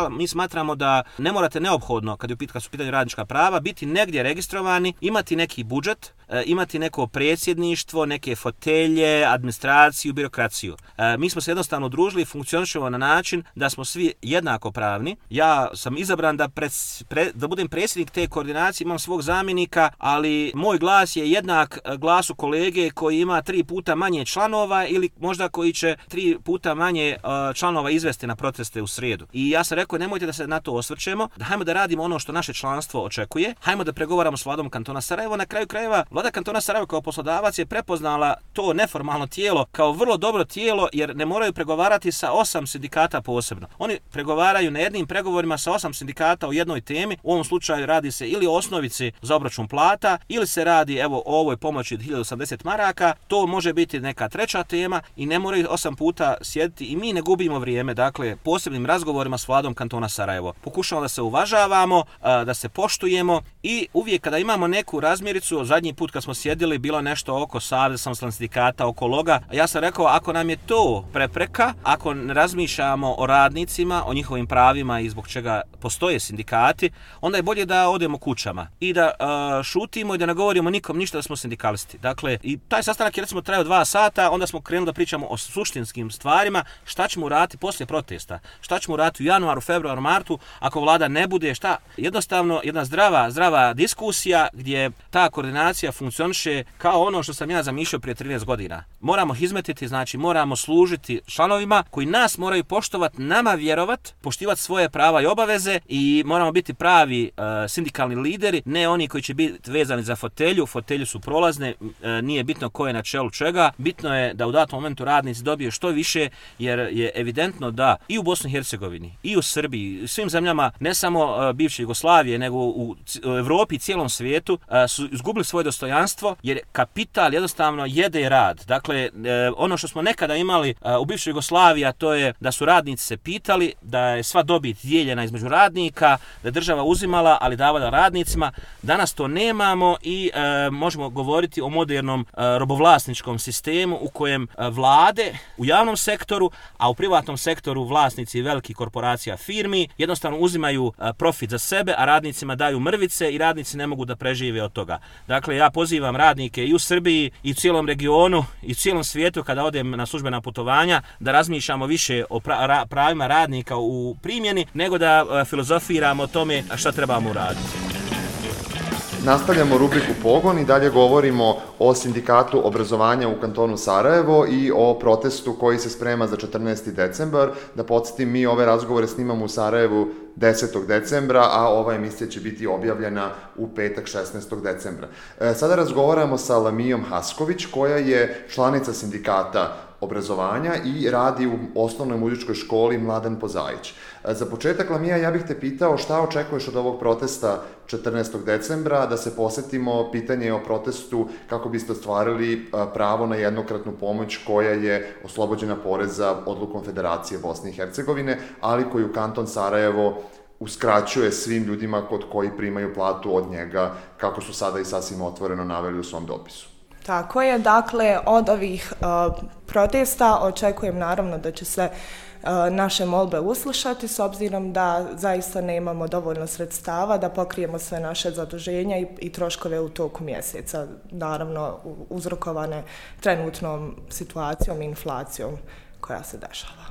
Mi smatramo da ne morate neophodno, kad su u pitanju radnička prava, biti negdje registrovani, imati neki budžet, imati neko predsjedništvo, neke fotelje, administraciju, birokraciju. Mi smo se jednostavno udružili i funkcionišemo na način da smo svi jednako pravni. Ja sam izabran da budem predsjednik te koordinacije, imam svog zamjenika, ali moj glas je jednak glasu kolege koji ima 3 puta manje članova ili možda koji će 3 puta manje članova izvesti na proteste u srijedu. I ja sam rekao, nemojte da se na to osvrćemo, da hajmo da radimo ono što naše članstvo očekuje, hajmo da pregovaramo s vladom kantona Sarajevo. Na kraju krajeva, vlada kantona Sarajevo kao poslodavac je prepoznala to neformalno tijelo kao vrlo dobro tijelo, jer ne moraju pregovarati sa 8 sindikata posebno. Oni pregovaraju na jednim pregovorima sa 8 sindikata o jednoj temi. U ovom slučaju radi se ili o osnovici za obračun plata, ili se radi o ovoj pomoći od 1080 maraka. To može biti neka treća tema i ne moraju 8 puta sjediti i mi ne gubimo vrijeme, dakle, posebnim razgovorima s vladom kantona Sarajevo. Pokušamo da se uvažavamo, da se poštujemo i uvijek kada imamo neku razmiricu, zadnji put put kad smo sjedili bilo nešto oko Saveza samostalnih sindikata, oko loga. Ja sam rekao, ako nam je to prepreka, ako ne razmišljamo o radnicima, o njihovim pravima i zbog čega postoje sindikati, onda je bolje da odemo kućama i da šutimo i da ne govorimo nikom ništa da smo sindikalisti. Dakle, i taj sastanak je recimo trajao 2 sata, onda smo krenuli da pričamo o suštinskim stvarima, šta ćemo uraditi poslije protesta, šta ćemo uraditi u januaru, februaru, martu, ako vlada ne bude, šta? Jednostavno, jedna zdrava diskusija gdje ta koordinacija funkcioniše kao ono što sam ja zamišljao prije 13 godina. Moramo hizmetiti, znači moramo služiti članovima koji nas moraju poštovati, nama vjerovat, poštivati svoje prava i obaveze i moramo biti pravi sindikalni lideri, ne oni koji će biti vezani za fotelju. Fotelju su prolazne, nije bitno ko je na čelu čega, bitno je da u datom momentu radnici dobiju što više, jer je evidentno da i u Bosni i Hercegovini, i u Srbiji, i svim zemljama, ne samo bivše Jugoslavije, nego u Evropi i cijelom svijetu, su izgubili svoje dostojanstvo, jer kapital jednostavno jede rad. Dakle, ono što smo nekada imali u bivšoj Jugoslaviji, a to je da su radnici se pitali, da je sva dobit dijeljena između radnika, da je država uzimala, ali davala radnicima. Danas to nemamo i možemo govoriti o modernom robovlasničkom sistemu u kojem vlade u javnom sektoru, a u privatnom sektoru vlasnici velikih korporacija, firmi, jednostavno uzimaju profit za sebe, a radnicima daju mrvice i radnici ne mogu da prežive od toga. Dakle, ja pozivam radnike i u Srbiji, i u cijelom regionu, i u cijelom svijetu kada odem na službena putovanja, da razmišljamo više o pravima radnika u primjeni, nego da filozofiramo o tome šta trebamo uraditi. Nastavljamo rubriku Pogon i dalje govorimo o sindikatu obrazovanja u kantonu Sarajevo i o protestu koji se sprema za 14. decembar. Da podsjetim, mi ove razgovore snimamo u Sarajevu 10. decembra, a ova emisija će biti objavljena u petak 16. decembra. Sada razgovaramo sa Lamijom Hasković, koja je članica sindikata obrazovanja i radi u osnovnoj muzičkoj školi Mladen Pozajić. Za početak, Lamija, ja bih te pitao šta očekuješ od ovog protesta 14. decembra, da se posjetimo pitanje o protestu kako biste ostvarili pravo na jednokratnu pomoć koja je oslobođena poreza odlukom Federacije Bosne i Hercegovine, ali koju kanton Sarajevo uskraćuje svim ljudima kod koji primaju platu od njega, kako su sada i sasvim otvoreno naveli u svom dopisu. Tako je, dakle, od ovih protesta očekujem naravno da će se naše molbe uslušati, s obzirom da zaista nemamo dovoljno sredstava da pokrijemo sve naše zaduženja i troškove u toku mjeseca, naravno uzrokovane trenutnom situacijom i inflacijom koja se dešava.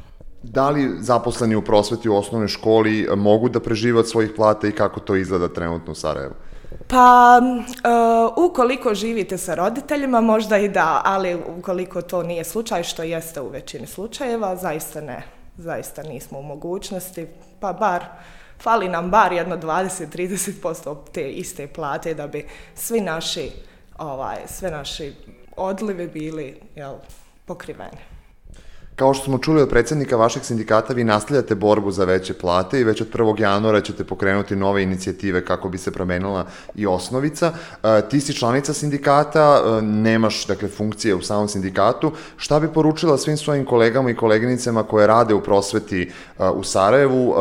Da li zaposleni u prosveti u osnovnoj školi mogu da prežive od svojih plata i kako to izgleda trenutno u Sarajevu? Pa, ukoliko živite sa roditeljima, možda i da, ali ukoliko to nije slučaj, što jeste u većini slučajeva, zaista ne. Zaista nismo u mogućnosti, pa fali nam bar jedno 20-30% te iste plate da bi sve naši odlivi bili pokriveni. Kao što smo čuli od predsjednika vašeg sindikata, vi nastavljate borbu za veće plate i već od 1. januara ćete pokrenuti nove inicijative kako bi se promenila i osnovica. Ti si članica sindikata, nemaš funkcije u samom sindikatu. Šta bi poručila svim svojim kolegama i koleginicama koje rade u prosveti u Sarajevu,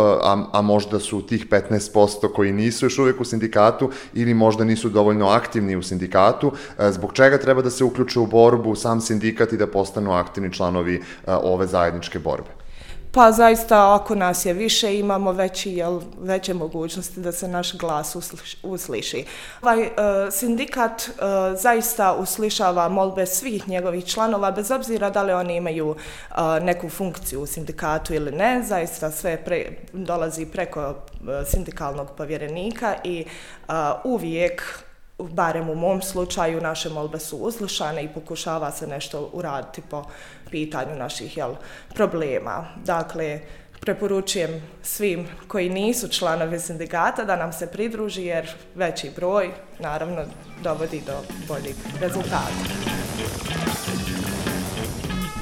a možda su tih 15% koji nisu još uvijek u sindikatu ili možda nisu dovoljno aktivni u sindikatu, zbog čega treba da se uključe u borbu u sam sindikat i da postanu aktivni članovi ove zajedničke borbe? Pa zaista, ako nas je više, imamo veće mogućnosti da se naš glas usliši. Ovaj sindikat zaista uslišava molbe svih njegovih članova, bez obzira da li oni imaju neku funkciju u sindikatu ili ne. Zaista sve dolazi preko sindikalnog povjerenika i uvijek, barem u mom slučaju, naše molbe su uslušane i pokušava se nešto uraditi po pitanju naših problema. Dakle, preporučujem svim koji nisu članovi sindikata da nam se pridruži, jer veći broj naravno dovodi do boljih rezultata.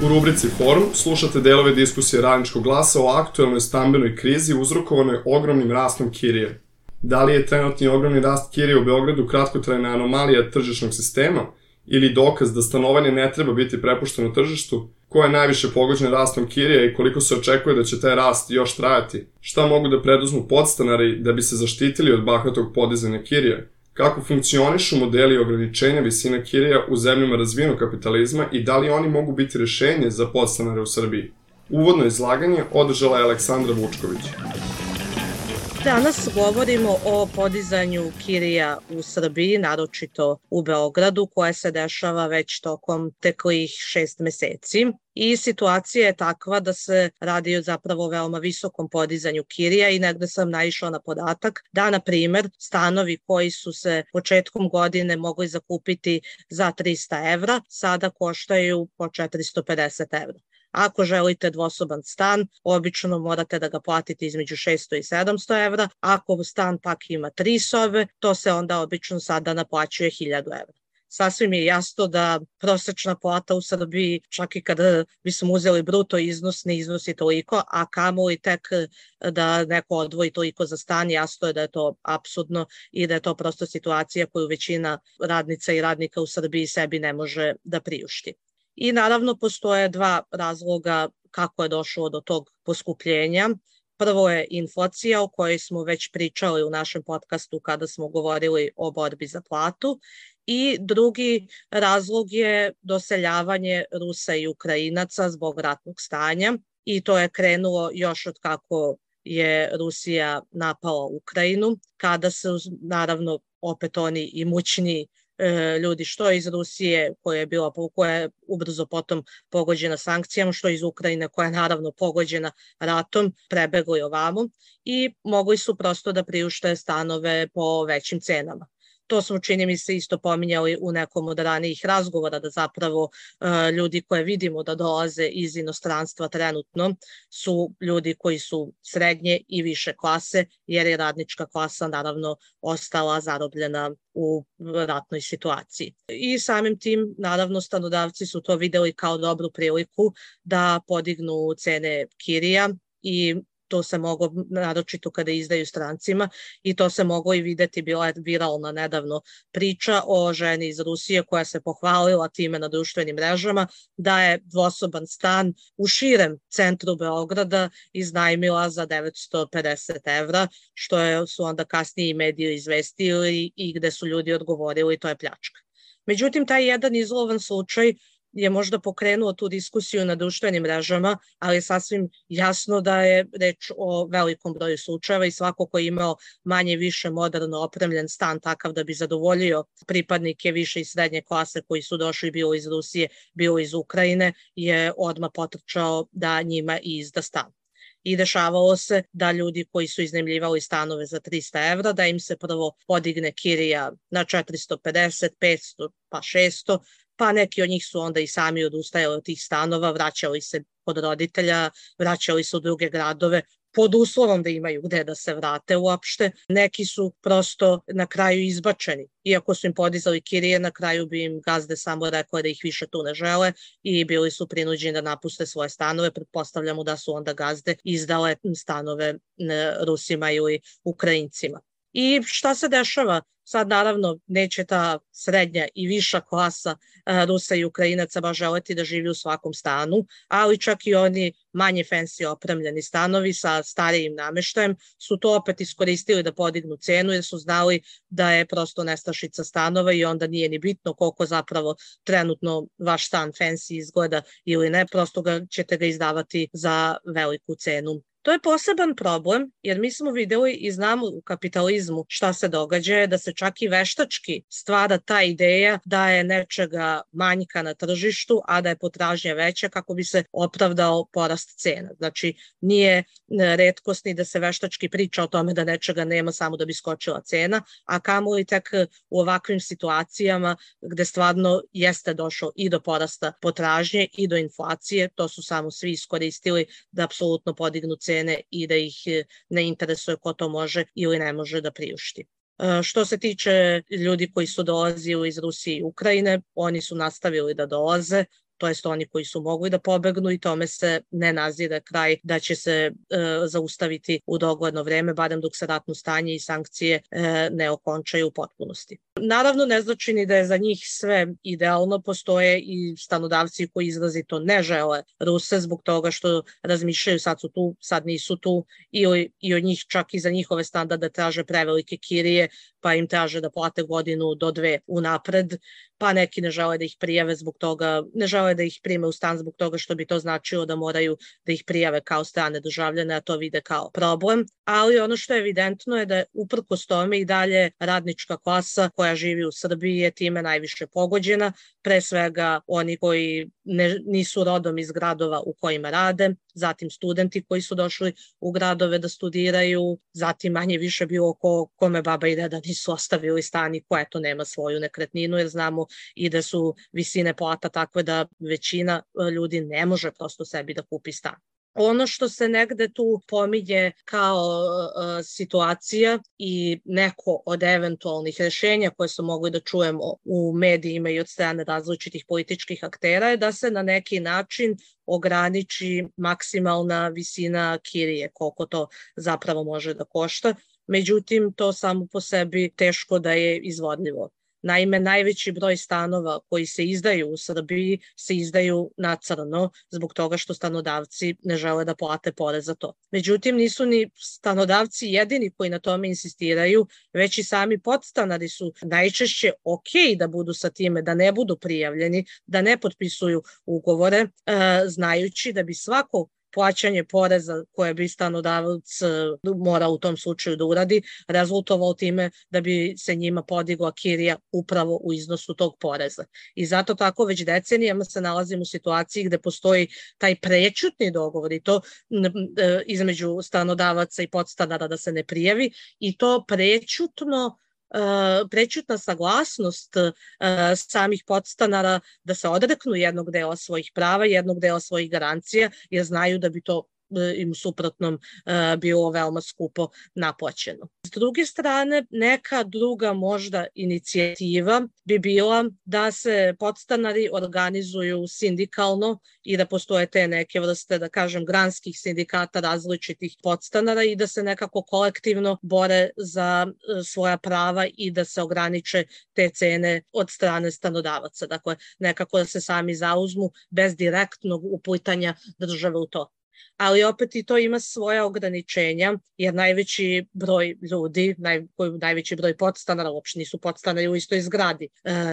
U rubrici Forum slušate delove diskusije Radničkog glasa o aktuelnoj stambenoj krizi uzrokovanoj ogromnim rastom kirije. Da li je trenutni ogromni rast kirije u Beogradu kratkotrajna anomalija tržišnog sistema ili dokaz da stanovanje ne treba biti prepušteno tržištu? Ko je najviše pogođen rastom kirije i koliko se očekuje da će taj rast još trajati? Šta mogu da preduzmu podstanari da bi se zaštitili od bahatog podizanja kirije? Kako funkcionišu modeli ograničenja visina kirija u zemljama razvijenog kapitalizma i da li oni mogu biti rešenje za podstanare u Srbiji? Uvodno izlaganje održala je Aleksandra Vučković. Danas govorimo o podizanju kirija u Srbiji, naročito u Beogradu, koja se dešava već tokom teklih 6 meseci. I situacija je takva da se radi o zapravo veoma visokom podizanju kirija i negde sam naišla na podatak da, na primer, stanovi koji su se početkom godine mogli zakupiti za 300 evra, sada koštaju po 450 evra. Ako želite dvosoban stan, obično morate da ga platite između 600 i 700 evra. Ako stan pak ima 3 sobe, to se onda obično sada naplaćuje 1000 evra. Sasvim je jasno da prosečna plata u Srbiji, čak i kada bismo uzeli bruto iznos, ne iznosi toliko, a kamoli tek da neko odvoji toliko za stan, jasno je da je to apsurdno i da je to prosto situacija koju većina radnica i radnika u Srbiji sebi ne može da priušti. I naravno postoje dva razloga kako je došlo do tog poskupljenja. Prvo je inflacija o kojoj smo već pričali u našem podcastu kada smo govorili o borbi za platu. I drugi razlog je doseljavanje Rusa i Ukrajinaca zbog ratnog stanja i to je krenulo još od kako je Rusija napala Ukrajinu, kada su naravno opet oni imućni ljudi što iz Rusije koja je ubrzo potom pogođena sankcijama, što iz Ukrajine koja je naravno pogođena ratom, prebegli ovamo i mogli su prosto da priušte stanove po većim cenama. To smo, čini mi se, isto pominjali u nekom od ranijih razgovora, da zapravo ljudi koje vidimo da dolaze iz inostranstva trenutno su ljudi koji su srednje i više klase, jer je radnička klasa naravno ostala zarobljena u ratnoj situaciji. I samim tim, naravno, stanodavci su to videli kao dobru priliku da podignu cene kirija i to se moglo, naročito kada izdaju strancima, i to se moglo i videti, bila je viralna nedavno priča o ženi iz Rusije koja se pohvalila time na društvenim mrežama da je dvosoban stan u širem centru Beograda iznajmila za 950 evra, što su onda kasnije i mediji izvestili i gde su ljudi odgovorili to je pljačka. Međutim, taj jedan izolovan slučaj je možda pokrenuo tu diskusiju na društvenim mrežama, ali je sasvim jasno da je reč o velikom broju slučajeva i svako ko je imao manje više moderno opremljen stan takav da bi zadovoljio pripadnike više i srednje klase koji su došli bilo iz Rusije, bilo iz Ukrajine, je odmah potrčao da njima i izda stan. I dešavalo se da ljudi koji su iznajmljivali stanove za 300 evra, da im se prvo podigne kirija na 450, 500 pa 600, pa neki od njih su onda i sami odustajali od tih stanova, vraćali se kod roditelja, vraćali se u druge gradove, pod uslovom da imaju gde da se vrate uopšte. Neki su prosto na kraju izbačeni. Iako su im podizali kirije, na kraju bi im gazde samo rekle da ih više tu ne žele i bili su prinuđeni da napuste svoje stanove. Pretpostavljamo da su onda gazde izdale stanove Rusima ili Ukrajincima. I šta se dešava? Sad naravno neće ta srednja i viša klasa Rusa i Ukrajinaca baš želeti da živi u svakom stanu, ali čak i oni manje fancy opremljeni stanovi sa starijim nameštajem su to opet iskoristili da podignu cenu jer su znali da je prosto nestašica stanova i onda nije ni bitno koliko zapravo trenutno vaš stan fancy izgleda ili ne, prosto ćete ga izdavati za veliku cenu. To je poseban problem jer mi smo videli i znamo u kapitalizmu šta se događa, da se čak i veštački stvara ta ideja da je nečega manjka na tržištu, a da je potražnja veća kako bi se opravdao porast cena. Znači, nije retkost ni da se veštački priča o tome da nečega nema samo da bi skočila cena, a kamoli tek u ovakvim situacijama gde stvarno jeste došlo i do porasta potražnje i do inflacije, to su samo svi iskoristili da apsolutno podignu cene i da ih ne interesuje ko to može ili ne može da priušti. Što se tiče ljudi koji su dolazili iz Rusije i Ukrajine, oni su nastavili da dolaze, to jest oni koji su mogli da pobegnu i tome se ne nazire kraj da će se zaustaviti u dogledno vreme, barem dok se ratno stanje i sankcije ne okončaju u potpunosti. Naravno, ne znači ni da je za njih sve idealno, postoje i stanodavci koji izrazito ne žele Ruse zbog toga što razmišljaju sad su tu, sad nisu tu, i od njih čak i za njihove standarde traže prevelike kirije, pa im traže da plate godinu do 2 unapred, pa neki ne žele da ih prijave zbog toga, ne žele da ih prime u stan zbog toga što bi to značilo da moraju da ih prijave kao strane državljane, a to vide kao problem. Ali ono što je evidentno je da je uprkos tome i dalje radnička klasa koja živi u Srbiji je time najviše pogođena, pre svega oni koji nisu rodom iz gradova u kojima rade, zatim studenti koji su došli u gradove da studiraju, zatim manje više bilo kome baba i deda nisu ostavili stan i ko eto nema svoju nekretninu, jer znamo i da su visine plata takve da većina ljudi ne može prosto sebi da kupi stan. Ono što se negde tu pominje kao situacija i neko od eventualnih rešenja koje su mogli da čujemo u medijima i od strane različitih političkih aktera je da se na neki način ograniči maksimalna visina kirije, koliko to zapravo može da košta. Međutim, to samo po sebi teško da je izvodljivo. Naime, najveći broj stanova koji se izdaju u Srbiji se izdaju na crno zbog toga što stanodavci ne žele da plate porez za to. Međutim, nisu ni stanodavci jedini koji na tome insistiraju, već i sami podstanari su najčešće okej da budu sa time, da ne budu prijavljeni, da ne potpisuju ugovore, znajući da bi svako plaćanje poreza koje bi stanodavac mora u tom slučaju da uradi, rezultovalo time da bi se njima podigla kirija upravo u iznosu tog poreza. I zato tako već decenijama se nalazimo u situaciji gde postoji taj prećutni dogovor i to između stanodavaca i podstanara da se ne prijavi i to prećutna saglasnost samih podstanara da se odreknu jednog dela svojih prava, jednog dela svojih garancija, jer znaju da bi to im u suprotnom bilo veoma skupo naplaćeno. S druge strane, neka druga možda inicijativa bi bila da se podstanari organizuju sindikalno i da postoje te neke vrste, da kažem, granskih sindikata različitih podstanara i da se nekako kolektivno bore za svoja prava i da se ograniče te cene od strane stanodavaca. Dakle, nekako da se sami zauzmu bez direktnog uplitanja države u to. Ali opet i to ima svoje ograničenja, jer najveći broj ljudi, najveći broj podstanara, uopšte nisu podstanari u istoj zgradi,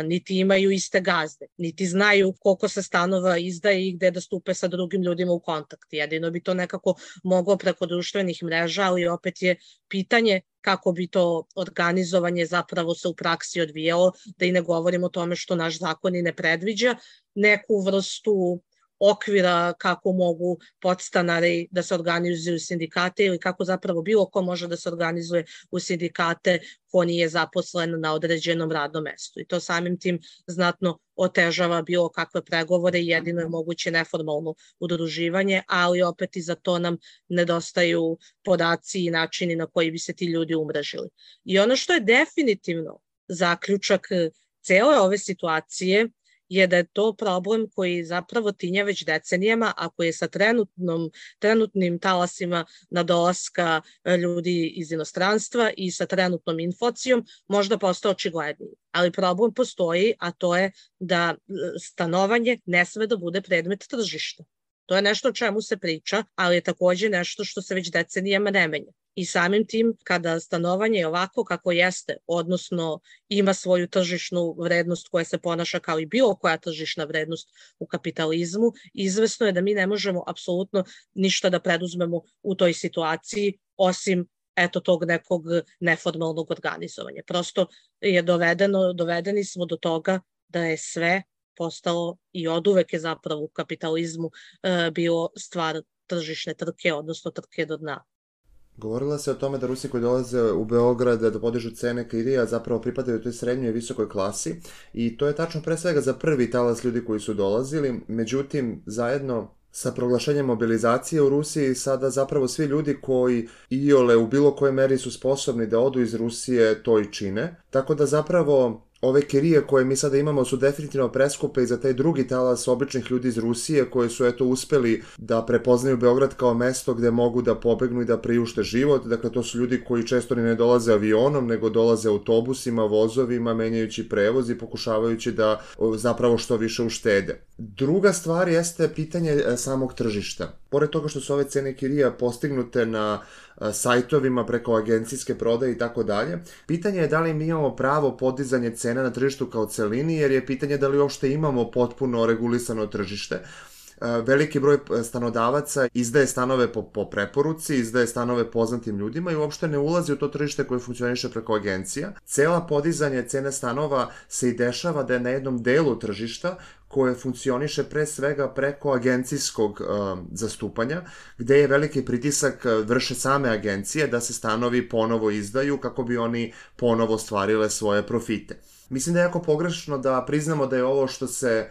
niti imaju iste gazde, niti znaju koliko se stanova izdaje i gde da stupe sa drugim ljudima u kontakt. Jedino bi to nekako moglo preko društvenih mreža, ali opet je pitanje kako bi to organizovanje zapravo se u praksi odvijalo, da i ne govorimo o tome što naš zakon i ne predviđa neku vrstu okvira kako mogu podstanari da se organizuju sindikate ili kako zapravo bilo ko može da se organizuje u sindikate ko nije zaposlen na određenom radnom mestu. I to samim tim znatno otežava bilo kakve pregovore i jedino je moguće neformalno udruživanje, ali opet i za to nam nedostaju podaci i načini na koji bi se ti ljudi umrežili. I ono što je definitivno zaključak cele ove situacije je da je to problem koji zapravo tinja već decenijama, a koji je sa trenutnim talasima nadolaska ljudi iz inostranstva i sa trenutnom inflacijom možda postao očigledniji. Ali problem postoji, a to je da stanovanje ne sme da bude predmet tržišta. To je nešto o čemu se priča, ali je takođe nešto što se već decenijama ne menja. I samim tim, kada stanovanje je ovako kako jeste, odnosno ima svoju tržišnu vrednost koja se ponaša kao i bilo koja tržišna vrednost u kapitalizmu, izvesno je da mi ne možemo apsolutno ništa da preduzmemo u toj situaciji, osim tog nekog neformalnog organizovanja. Prosto je dovedeni smo do toga da je sve postalo i oduvek je zapravo u kapitalizmu bilo stvar tržišne trke, odnosno trke do dna. Govorila se o tome da Rusi koji dolaze u Beograd da podižu cene kirija zapravo pripadaju toj srednjoj i visokoj klasi i to je tačno pre svega za prvi talas ljudi koji su dolazili, međutim zajedno sa proglašenjem mobilizacije u Rusiji sada zapravo svi ljudi koji iole u bilo kojoj meri su sposobni da odu iz Rusije to i čine, tako da zapravo ove kirije koje mi sada imamo su definitivno preskupe i za taj drugi talas običnih ljudi iz Rusije koji su uspeli da prepoznaju Beograd kao mesto gde mogu da pobegnu i da priušte život. Dakle, to su ljudi koji često ni ne dolaze avionom, nego dolaze autobusima, vozovima, menjajući prevoz i pokušavajući da zapravo što više uštede. Druga stvar jeste pitanje samog tržišta. Pored toga što su ove cene kirija postignute na sajtovima preko agencijske prodaje i tako dalje, pitanje je da li mi imamo pravo podizanje cena na tržištu kao celini, jer je pitanje da li uopšte imamo potpuno regulisano tržište. Veliki broj stanodavaca izdaje stanove po preporuci, izdaje stanove poznatim ljudima i uopšte ne ulazi u to tržište koje funkcioniše preko agencija. Cela podizanje cene stanova se i dešava da je na jednom delu tržišta koje funkcioniše pre svega preko agencijskog zastupanja, gde je veliki pritisak vrše same agencije da se stanovi ponovo izdaju kako bi oni ponovo stvarile svoje profite. Mislim da je jako pogrešno da priznamo da je ovo što se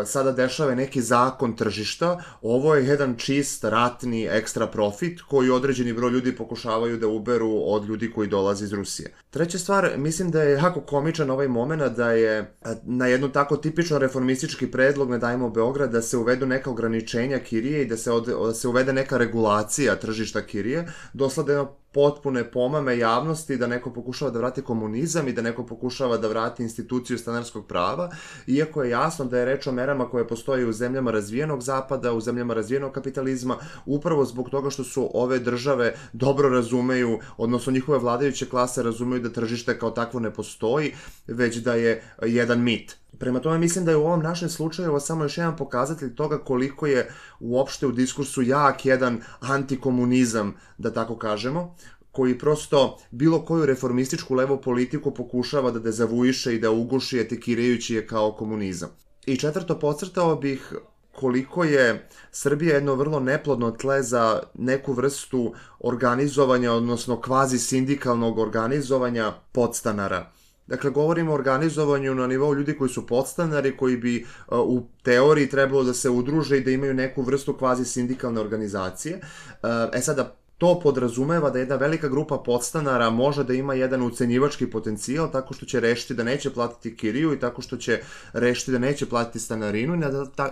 sada dešava neki zakon tržišta, ovo je jedan čist ratni ekstra profit koji određeni broj ljudi pokušavaju da uberu od ljudi koji dolaze iz Rusije. Treća stvar, mislim da je jako komičan ovaj moment da je na jednu tako tipično reformistički predlog Ne dajmo Beograd da se uvedu neka ograničenja kirije i da se uvede neka regulacija tržišta kirije, dosledno potpune pomame javnosti da neko pokušava da vrati komunizam i da neko pokušava da vrati instituciju stanarskog prava, iako je jasno da je reč o merama koje postoje u zemljama razvijenog zapada, u zemljama razvijenog kapitalizma, upravo zbog toga što su ove države dobro razumeju, odnosno njihove vladajuće klase razumeju da tržište kao takvo ne postoji, već da je jedan mit. Prema tome mislim da je u ovom našem slučaju ovo samo još jedan pokazatelj toga koliko je uopšte u diskursu jak jedan antikomunizam, da tako kažemo, koji prosto bilo koju reformističku levu politiku pokušava da dezavuiše i da uguši etikirajući je kao komunizam. I četvrto, podcrtao bih koliko je Srbija jedno vrlo neplodno tle za neku vrstu organizovanja, odnosno kvazi sindikalnog organizovanja podstanara. Dakle, govorimo o organizovanju na nivou ljudi koji su podstanari, koji bi u teoriji trebalo da se udruže i da imaju neku vrstu kvazi sindikalne organizacije. Sada, to podrazumeva da jedna velika grupa podstanara može da ima jedan ucenjivački potencijal tako što će rešiti da neće platiti kiriju i tako što će rešiti da neće platiti stanarinu i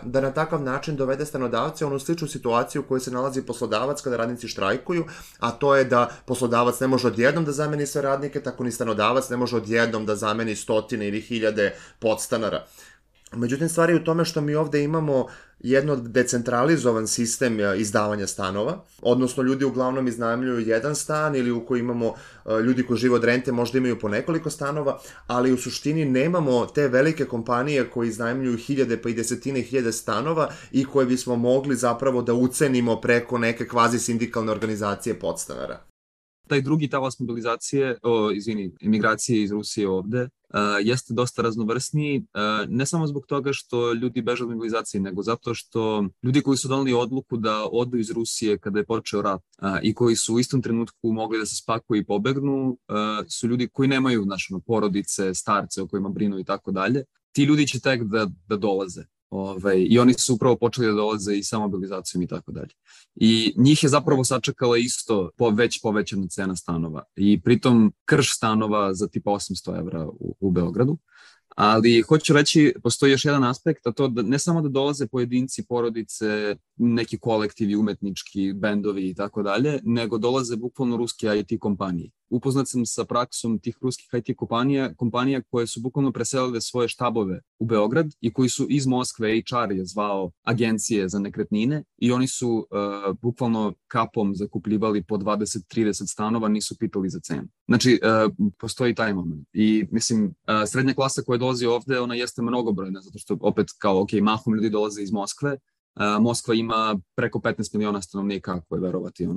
da na takav način dovede stanodavce u onu sličnu situaciju u kojoj se nalazi poslodavac kada radnici štrajkuju, a to je da poslodavac ne može odjednom da zameni sve radnike, tako ni stanodavac ne može odjednom da zameni stotine ili hiljade podstanara. Međutim, stvar je u tome što mi ovde imamo jedno decentralizovan sistem izdavanja stanova, odnosno ljudi uglavnom iznajmljuju jedan stan ili u kojoj imamo ljudi koji žive od rente možda imaju po nekoliko stanova, ali u suštini nemamo te velike kompanije koji iznajmljuju hiljade pa i desetine hiljade stanova i koje bismo mogli zapravo da ucenimo preko neke kvazi sindikalne organizacije podstanara. Taj drugi talas mobilizacije, imigracije iz Rusije ovde, jeste dosta raznovrsniji, ne samo zbog toga što ljudi beže od mobilizacije, nego zato što ljudi koji su doneli odluku da odu iz Rusije kada je počeo rat i koji su u istom trenutku mogli da se spakuju i pobegnu, su ljudi koji nemaju porodice, starce o kojima brinu i tako dalje. Ti ljudi će tek da dolaze. I oni su upravo počeli da dolaze i sa mobilizacijom i tako dalje. I njih je zapravo sačekala isto već povećana cena stanova. I pritom krš stanova za tipa 800 evra u Beogradu. Ali hoću reći, postoji još jedan aspekt, a to da ne samo da dolaze pojedinci, porodice, neki kolektivi, umetnički, bendovi i tako dalje, nego dolaze bukvalno ruske IT kompanije. Upoznat sam sa praksom tih ruskih IT kompanija koje su bukvalno preselile svoje štabove u Beograd i koji su iz Moskve, HR je zvao agencije za nekretnine i oni su bukvalno kapom zakupljivali po 20-30 stanova, nisu pitali za cenu. Znači, postoji taj moment. I mislim, srednja klasa koja dolazi ovde, ona jeste mnogobrojna, zato što opet kao, mahom ljudi dolaze iz Moskve. Moskva ima preko 15 miliona stanovnika, ako je verovati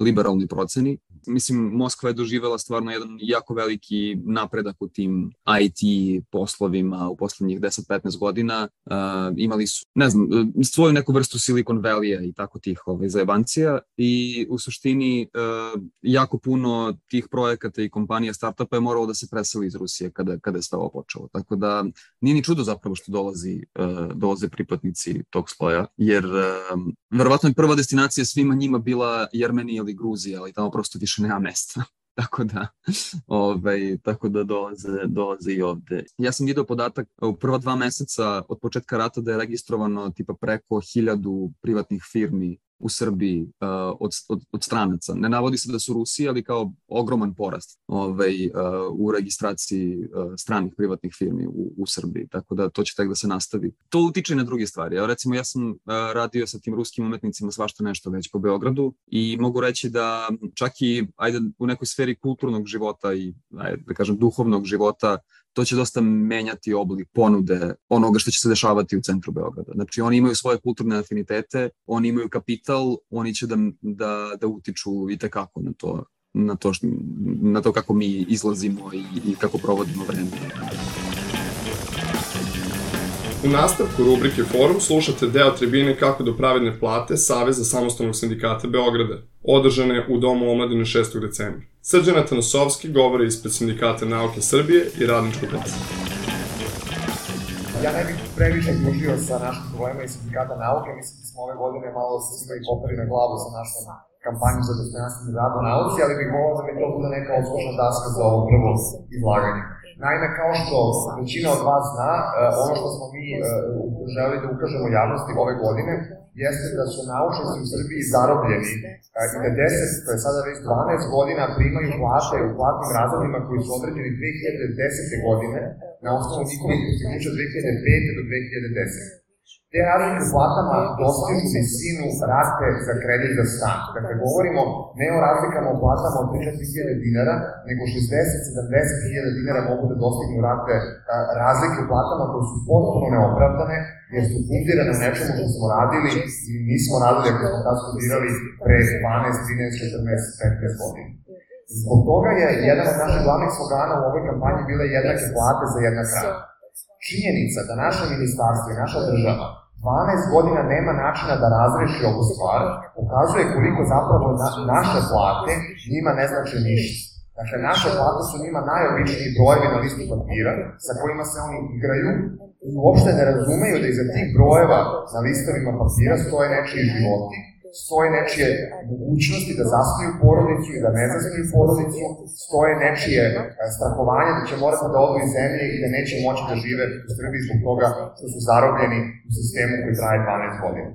liberalni proceni. Mislim, Moskva je doživela stvarno jedan jako veliki napredak u tim IT poslovima u poslednjih 10-15 godina. Imali su, svoju neku vrstu Silicon Valley-a i tako tih zajebancija i u suštini jako puno tih projekata i kompanija startupa je moralo da se preseli iz Rusije kada je sve ovo počelo. Tako da nije ni čudo zapravo što dolaze pripadnici tog sloja, jer verovatno je prva destinacija svima njima bila Jermenija ili Gruzija, ali tamo prosto više nema mesta. tako da dolaze i ovde. Ja sam vidio podatak u prva 2 meseca od početka rata da je registrovano tipa preko 1000 privatnih firmi u Srbiji od stranaca. Ne navodi se da su Rusi, ali kao ogroman porast u registraciji stranih privatnih firmi u Srbiji, tako da to će tek da se nastavi. To utiče na druge stvari. Recimo, ja sam radio sa tim ruskim umetnicima svašta nešto već po Beogradu i mogu reći da čak i u nekoj sferi kulturnog života i da kažem duhovnog života to će dosta menjati oblik ponude onoga što će se dešavati u centru Beograda. Znači, oni imaju svoje kulturne afinitete, oni imaju kapital, oni će da utiču i tekako na to kako mi izlazimo i kako provodimo vreme. U nastavku rubrike Forum slušate deo tribine Kako do pravedne plate Saveza samostalnog sindikata Beograda, održane u Domu omladine 6. decembra. Srđan Atanosovski govori ispred Sindikata nauke Srbije i Radničkog glasa. Ja ne bih previše dužio sa našim problemima iz Sindikata nauke, mislim da smo ove godine malo se svima i popeli na glavu sa našom kampanjom za dostojanstveni rad u nauci, ali bih volao da mi to bude neka odslušna daska za ovo prvo izlaganje. Naime, kao što većina od vas zna, ono što smo mi želi da ukažemo javnosti ove godine jeste da su naučnici u Srbiji zarobljeni i da 10, to je sada već 12 godina, primaju plate u platnim razredima koji su određeni 2010. godine na osnovu njihovih postignuća 2005. do 2010. Te razlike u platama dostižu visinu rate za kredit za stan. Dakle, govorimo ne o razlikama u platama od 3.000 dinara, nego 60-70.000 dinara mogu da dostignu rate razlike u platama koje su potpuno neopravdane, jer su fundirane u nečemu što smo radili i nismo radili ako smo tad studirali pre 12, 13, 14, 15 godina. Zbog toga je jedan od naših glavnih slogana u ovoj kampanji bile jednake plate za jednak rad. Činjenica da naše ministarstvo i naša država 12 godina nema načina da razreši ovu stvar, pokazuje koliko zapravo naše plate njima ne znači ništa. Dakle, naše plate su njima najobičniji brojevi na listu papira sa kojima se oni igraju i uopšte ne razumeju da iza tih brojeva na listovima papira stoje nečiji životi, stoje nečije mogućnosti da zasnuju porodicu i da ne zasnuju porodicu, stoje nečije strahovanje da će morati da odu iz zemlje i da neće moći da žive u Srbiji zbog toga što su zarobljeni u sistemu koji traje 12 godina.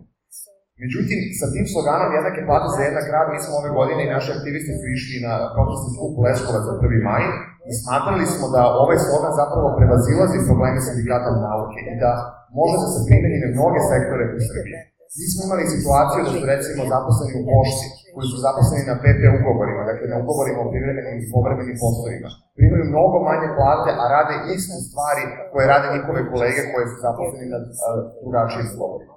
Međutim, sa tim sloganom jednake plate za jednak rad, mi smo ove godine i naši aktivisti su išli na protestni skup Leskovac za 1. maj i smatrali smo da ovaj slogan zapravo prevazilazi probleme sindikata nauke i da može da se primeni na mnoge sektore u Srbiji. Mi smo imali situaciju da su recimo zaposleni u pošti, koji su zaposleni na PP ugovorima, dakle na ugovorima o privremenim i povremenim poslovima. Primaju mnogo manje plate, a rade iste stvari koje rade njihove kolege koje su zaposleni na drugačijim ugovorima.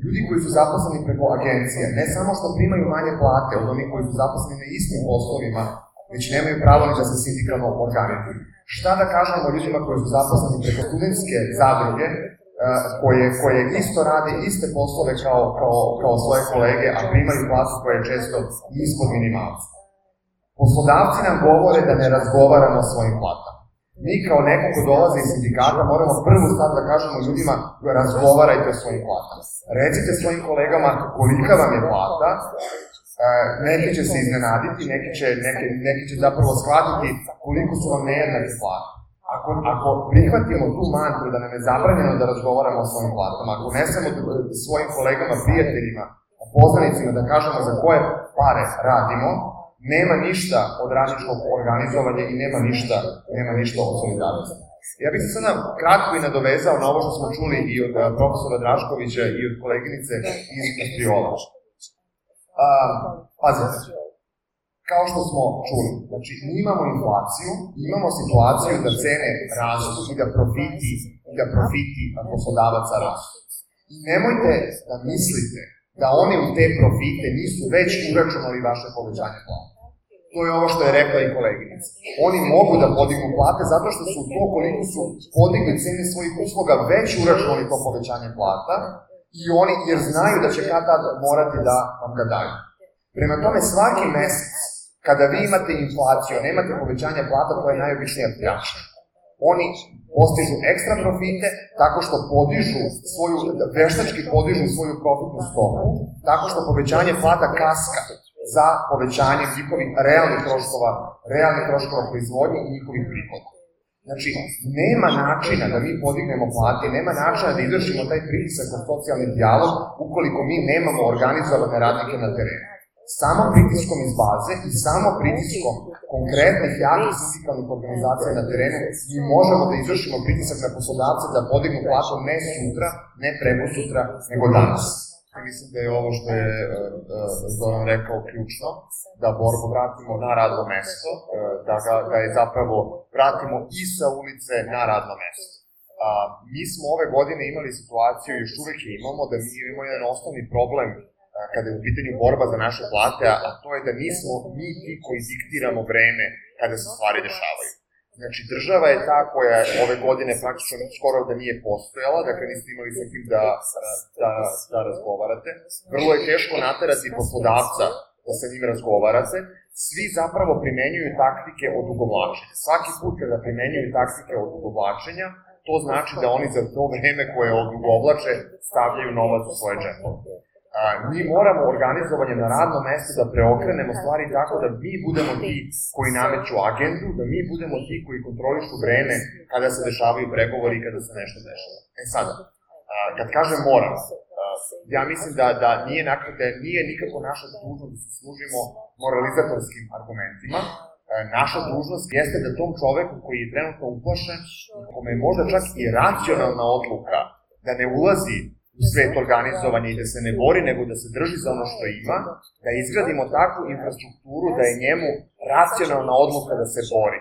Ljudi koji su zaposleni preko agencije, ne samo što primaju manje plate od onih koji su zaposleni na istim poslovima, već nemaju pravo ni da se sindikalno organizuju. Šta da kažemo o ljudima koji su zaposleni preko studentske zadruge, koje isto rade iste poslove kao svoje kolege, a primaju platu koja je često ispod minimalca. Poslodavci nam govore da ne razgovaramo o svojim platama. Mi kao neko ko dolaze iz sindikata moramo prvu stvar da kažemo ljudima razgovarajte o svojim platama. Recite svojim kolegama kolika vam je plata, neki će se iznenaditi, neki će zapravo shvatiti koliko su vam nejednake plate. Ako prihvatimo tu mantru da nam je zabranjeno da razgovaramo o svojim platama, ako ne samo svojim kolegama, prijateljima, poznanicima da kažemo za koje pare radimo, nema ništa od radničkog organizovanja i nema ništa od solidarnosti. Ja bih se sada kratko i nadovezao na ovo što smo čuli i od profesora Draškovića i od koleginice iz Kastriola. Pazite, kao što smo čuli, znači imamo inflaciju, imamo situaciju da cene rastu i da profiti poslodavaca rastu. I nemojte da mislite da oni u te profite nisu već uračunali vaše povećanje plata. To je ovo što je rekla i koleginica. Oni mogu da podignu plate zato što su to koliko su podigli cene svojih usluga već uračunali to povećanje plata i oni jer znaju da će kad tad morati da vam ga daju. Prema tome svaki mesec kada vi imate inflaciju, nemate povećanje plata, to je najobičnija pljačka. Oni postižu ekstra profite tako što veštački podižu svoju profitnu stopu, tako što povećanje plata kaska za povećanjem njihovih realnih troškova proizvodnje i njihovih prihoda. Znači, nema načina da mi podignemo plate, nema načina da izvršimo taj pritisak na socijalni dijalog ukoliko mi nemamo organizovane radnike na terenu. Samo pritiskom iz baze i samo pritiskom konkretnih jakih sindikalnih organizacija na terenu mi možemo da izvršimo pritisak na poslodavce da podignu platu ne sutra, ne prekosutra, nego danas. Mislim da je ovo što je Zoran rekao ključno, da borbu vratimo na radno mesto, da je zapravo vratimo i sa ulice na radno mesto. Mi smo ove godine imali situaciju, još uvek je imamo, da mi imamo jedan osnovni problem kada je u pitanju borba za naše plate, a to je da nismo mi ti koji diktiramo vreme kada se stvari dešavaju. Znači, država je ta koja ove godine praktično skoro da nije postojala, dakle niste imali sa kim da razgovarate. Vrlo je teško naterati poslodavca da sa njim razgovarate. Svi zapravo primenjuju taktike odugovlačenja. Svaki put kada primenjuju taktike odugovlačenja, to znači da oni za to vreme koje odugovlače stavljaju novac u svoje džepove. Mi moramo organizovanje na radnom mestu da preokrenemo stvari tako da mi budemo ti koji nameću agendu, da mi budemo ti koji kontrolišu vreme kada se dešavaju pregovori i kada se nešto dešava. Sada, kad kažem moramo, ja mislim da nije nikako naša dužnost da se služimo moralizatorskim argumentima. Naša dužnost jeste da tom čoveku koji je trenutno uplašen, kome je možda čak i racionalna odluka da ne ulazi u svet organizovanja i da se ne bori, nego da se drži za ono što ima, da izgradimo takvu infrastrukturu da je njemu racionalna odluka da se bori.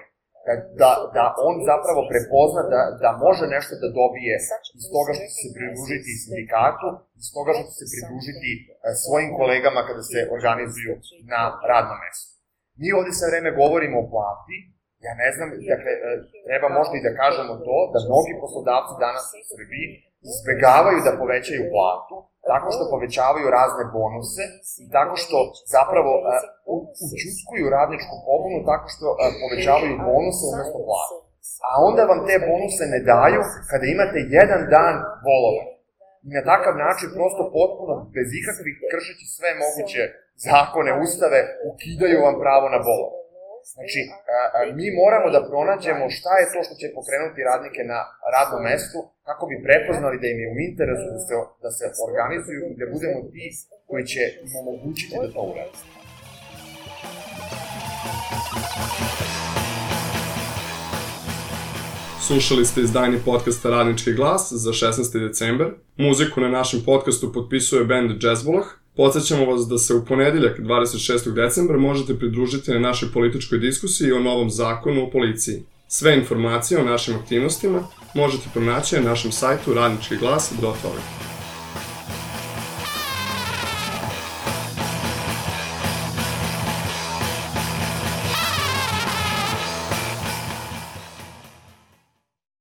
Da on zapravo prepozna da može nešto da dobije iz toga što će se pridružiti sindikatu, iz toga što će se pridružiti svojim kolegama kada se organizuju na radnom mestu. Mi ovde sve vreme govorimo o plati, ja ne znam, dakle, treba možda i da kažemo to, da mnogi poslodavci danas u Srbiji izbegavaju da povećaju platu, tako što povećavaju razne bonuse i tako što zapravo učutkuju radničku pobunu, tako što povećavaju bonuse umesto plata. A onda vam te bonuse ne daju kada imate jedan dan bolovanja. I na takav način prosto potpuno, bez ikakvih kršeći sve moguće zakone, ustave, ukidaju vam pravo na bolovanje. Znači, mi moramo da pronađemo šta je to što će pokrenuti radnike na radnom mestu, kako bi prepoznali da im je u interesu da se organizuju i da budemo ti koji će im omogućiti da to uradi. Slušali ste izdanje podcasta Radnički glas za 16. decembar. Muziku na našem podcastu potpisuje band Jazzvolah. Podsjećamo vas da se u ponedeljak 26. decembra možete pridružiti na našoj političkoj diskusiji o novom zakonu o policiji. Sve informacije o našim aktivnostima možete pronaći na našem sajtu radničkiglas.org.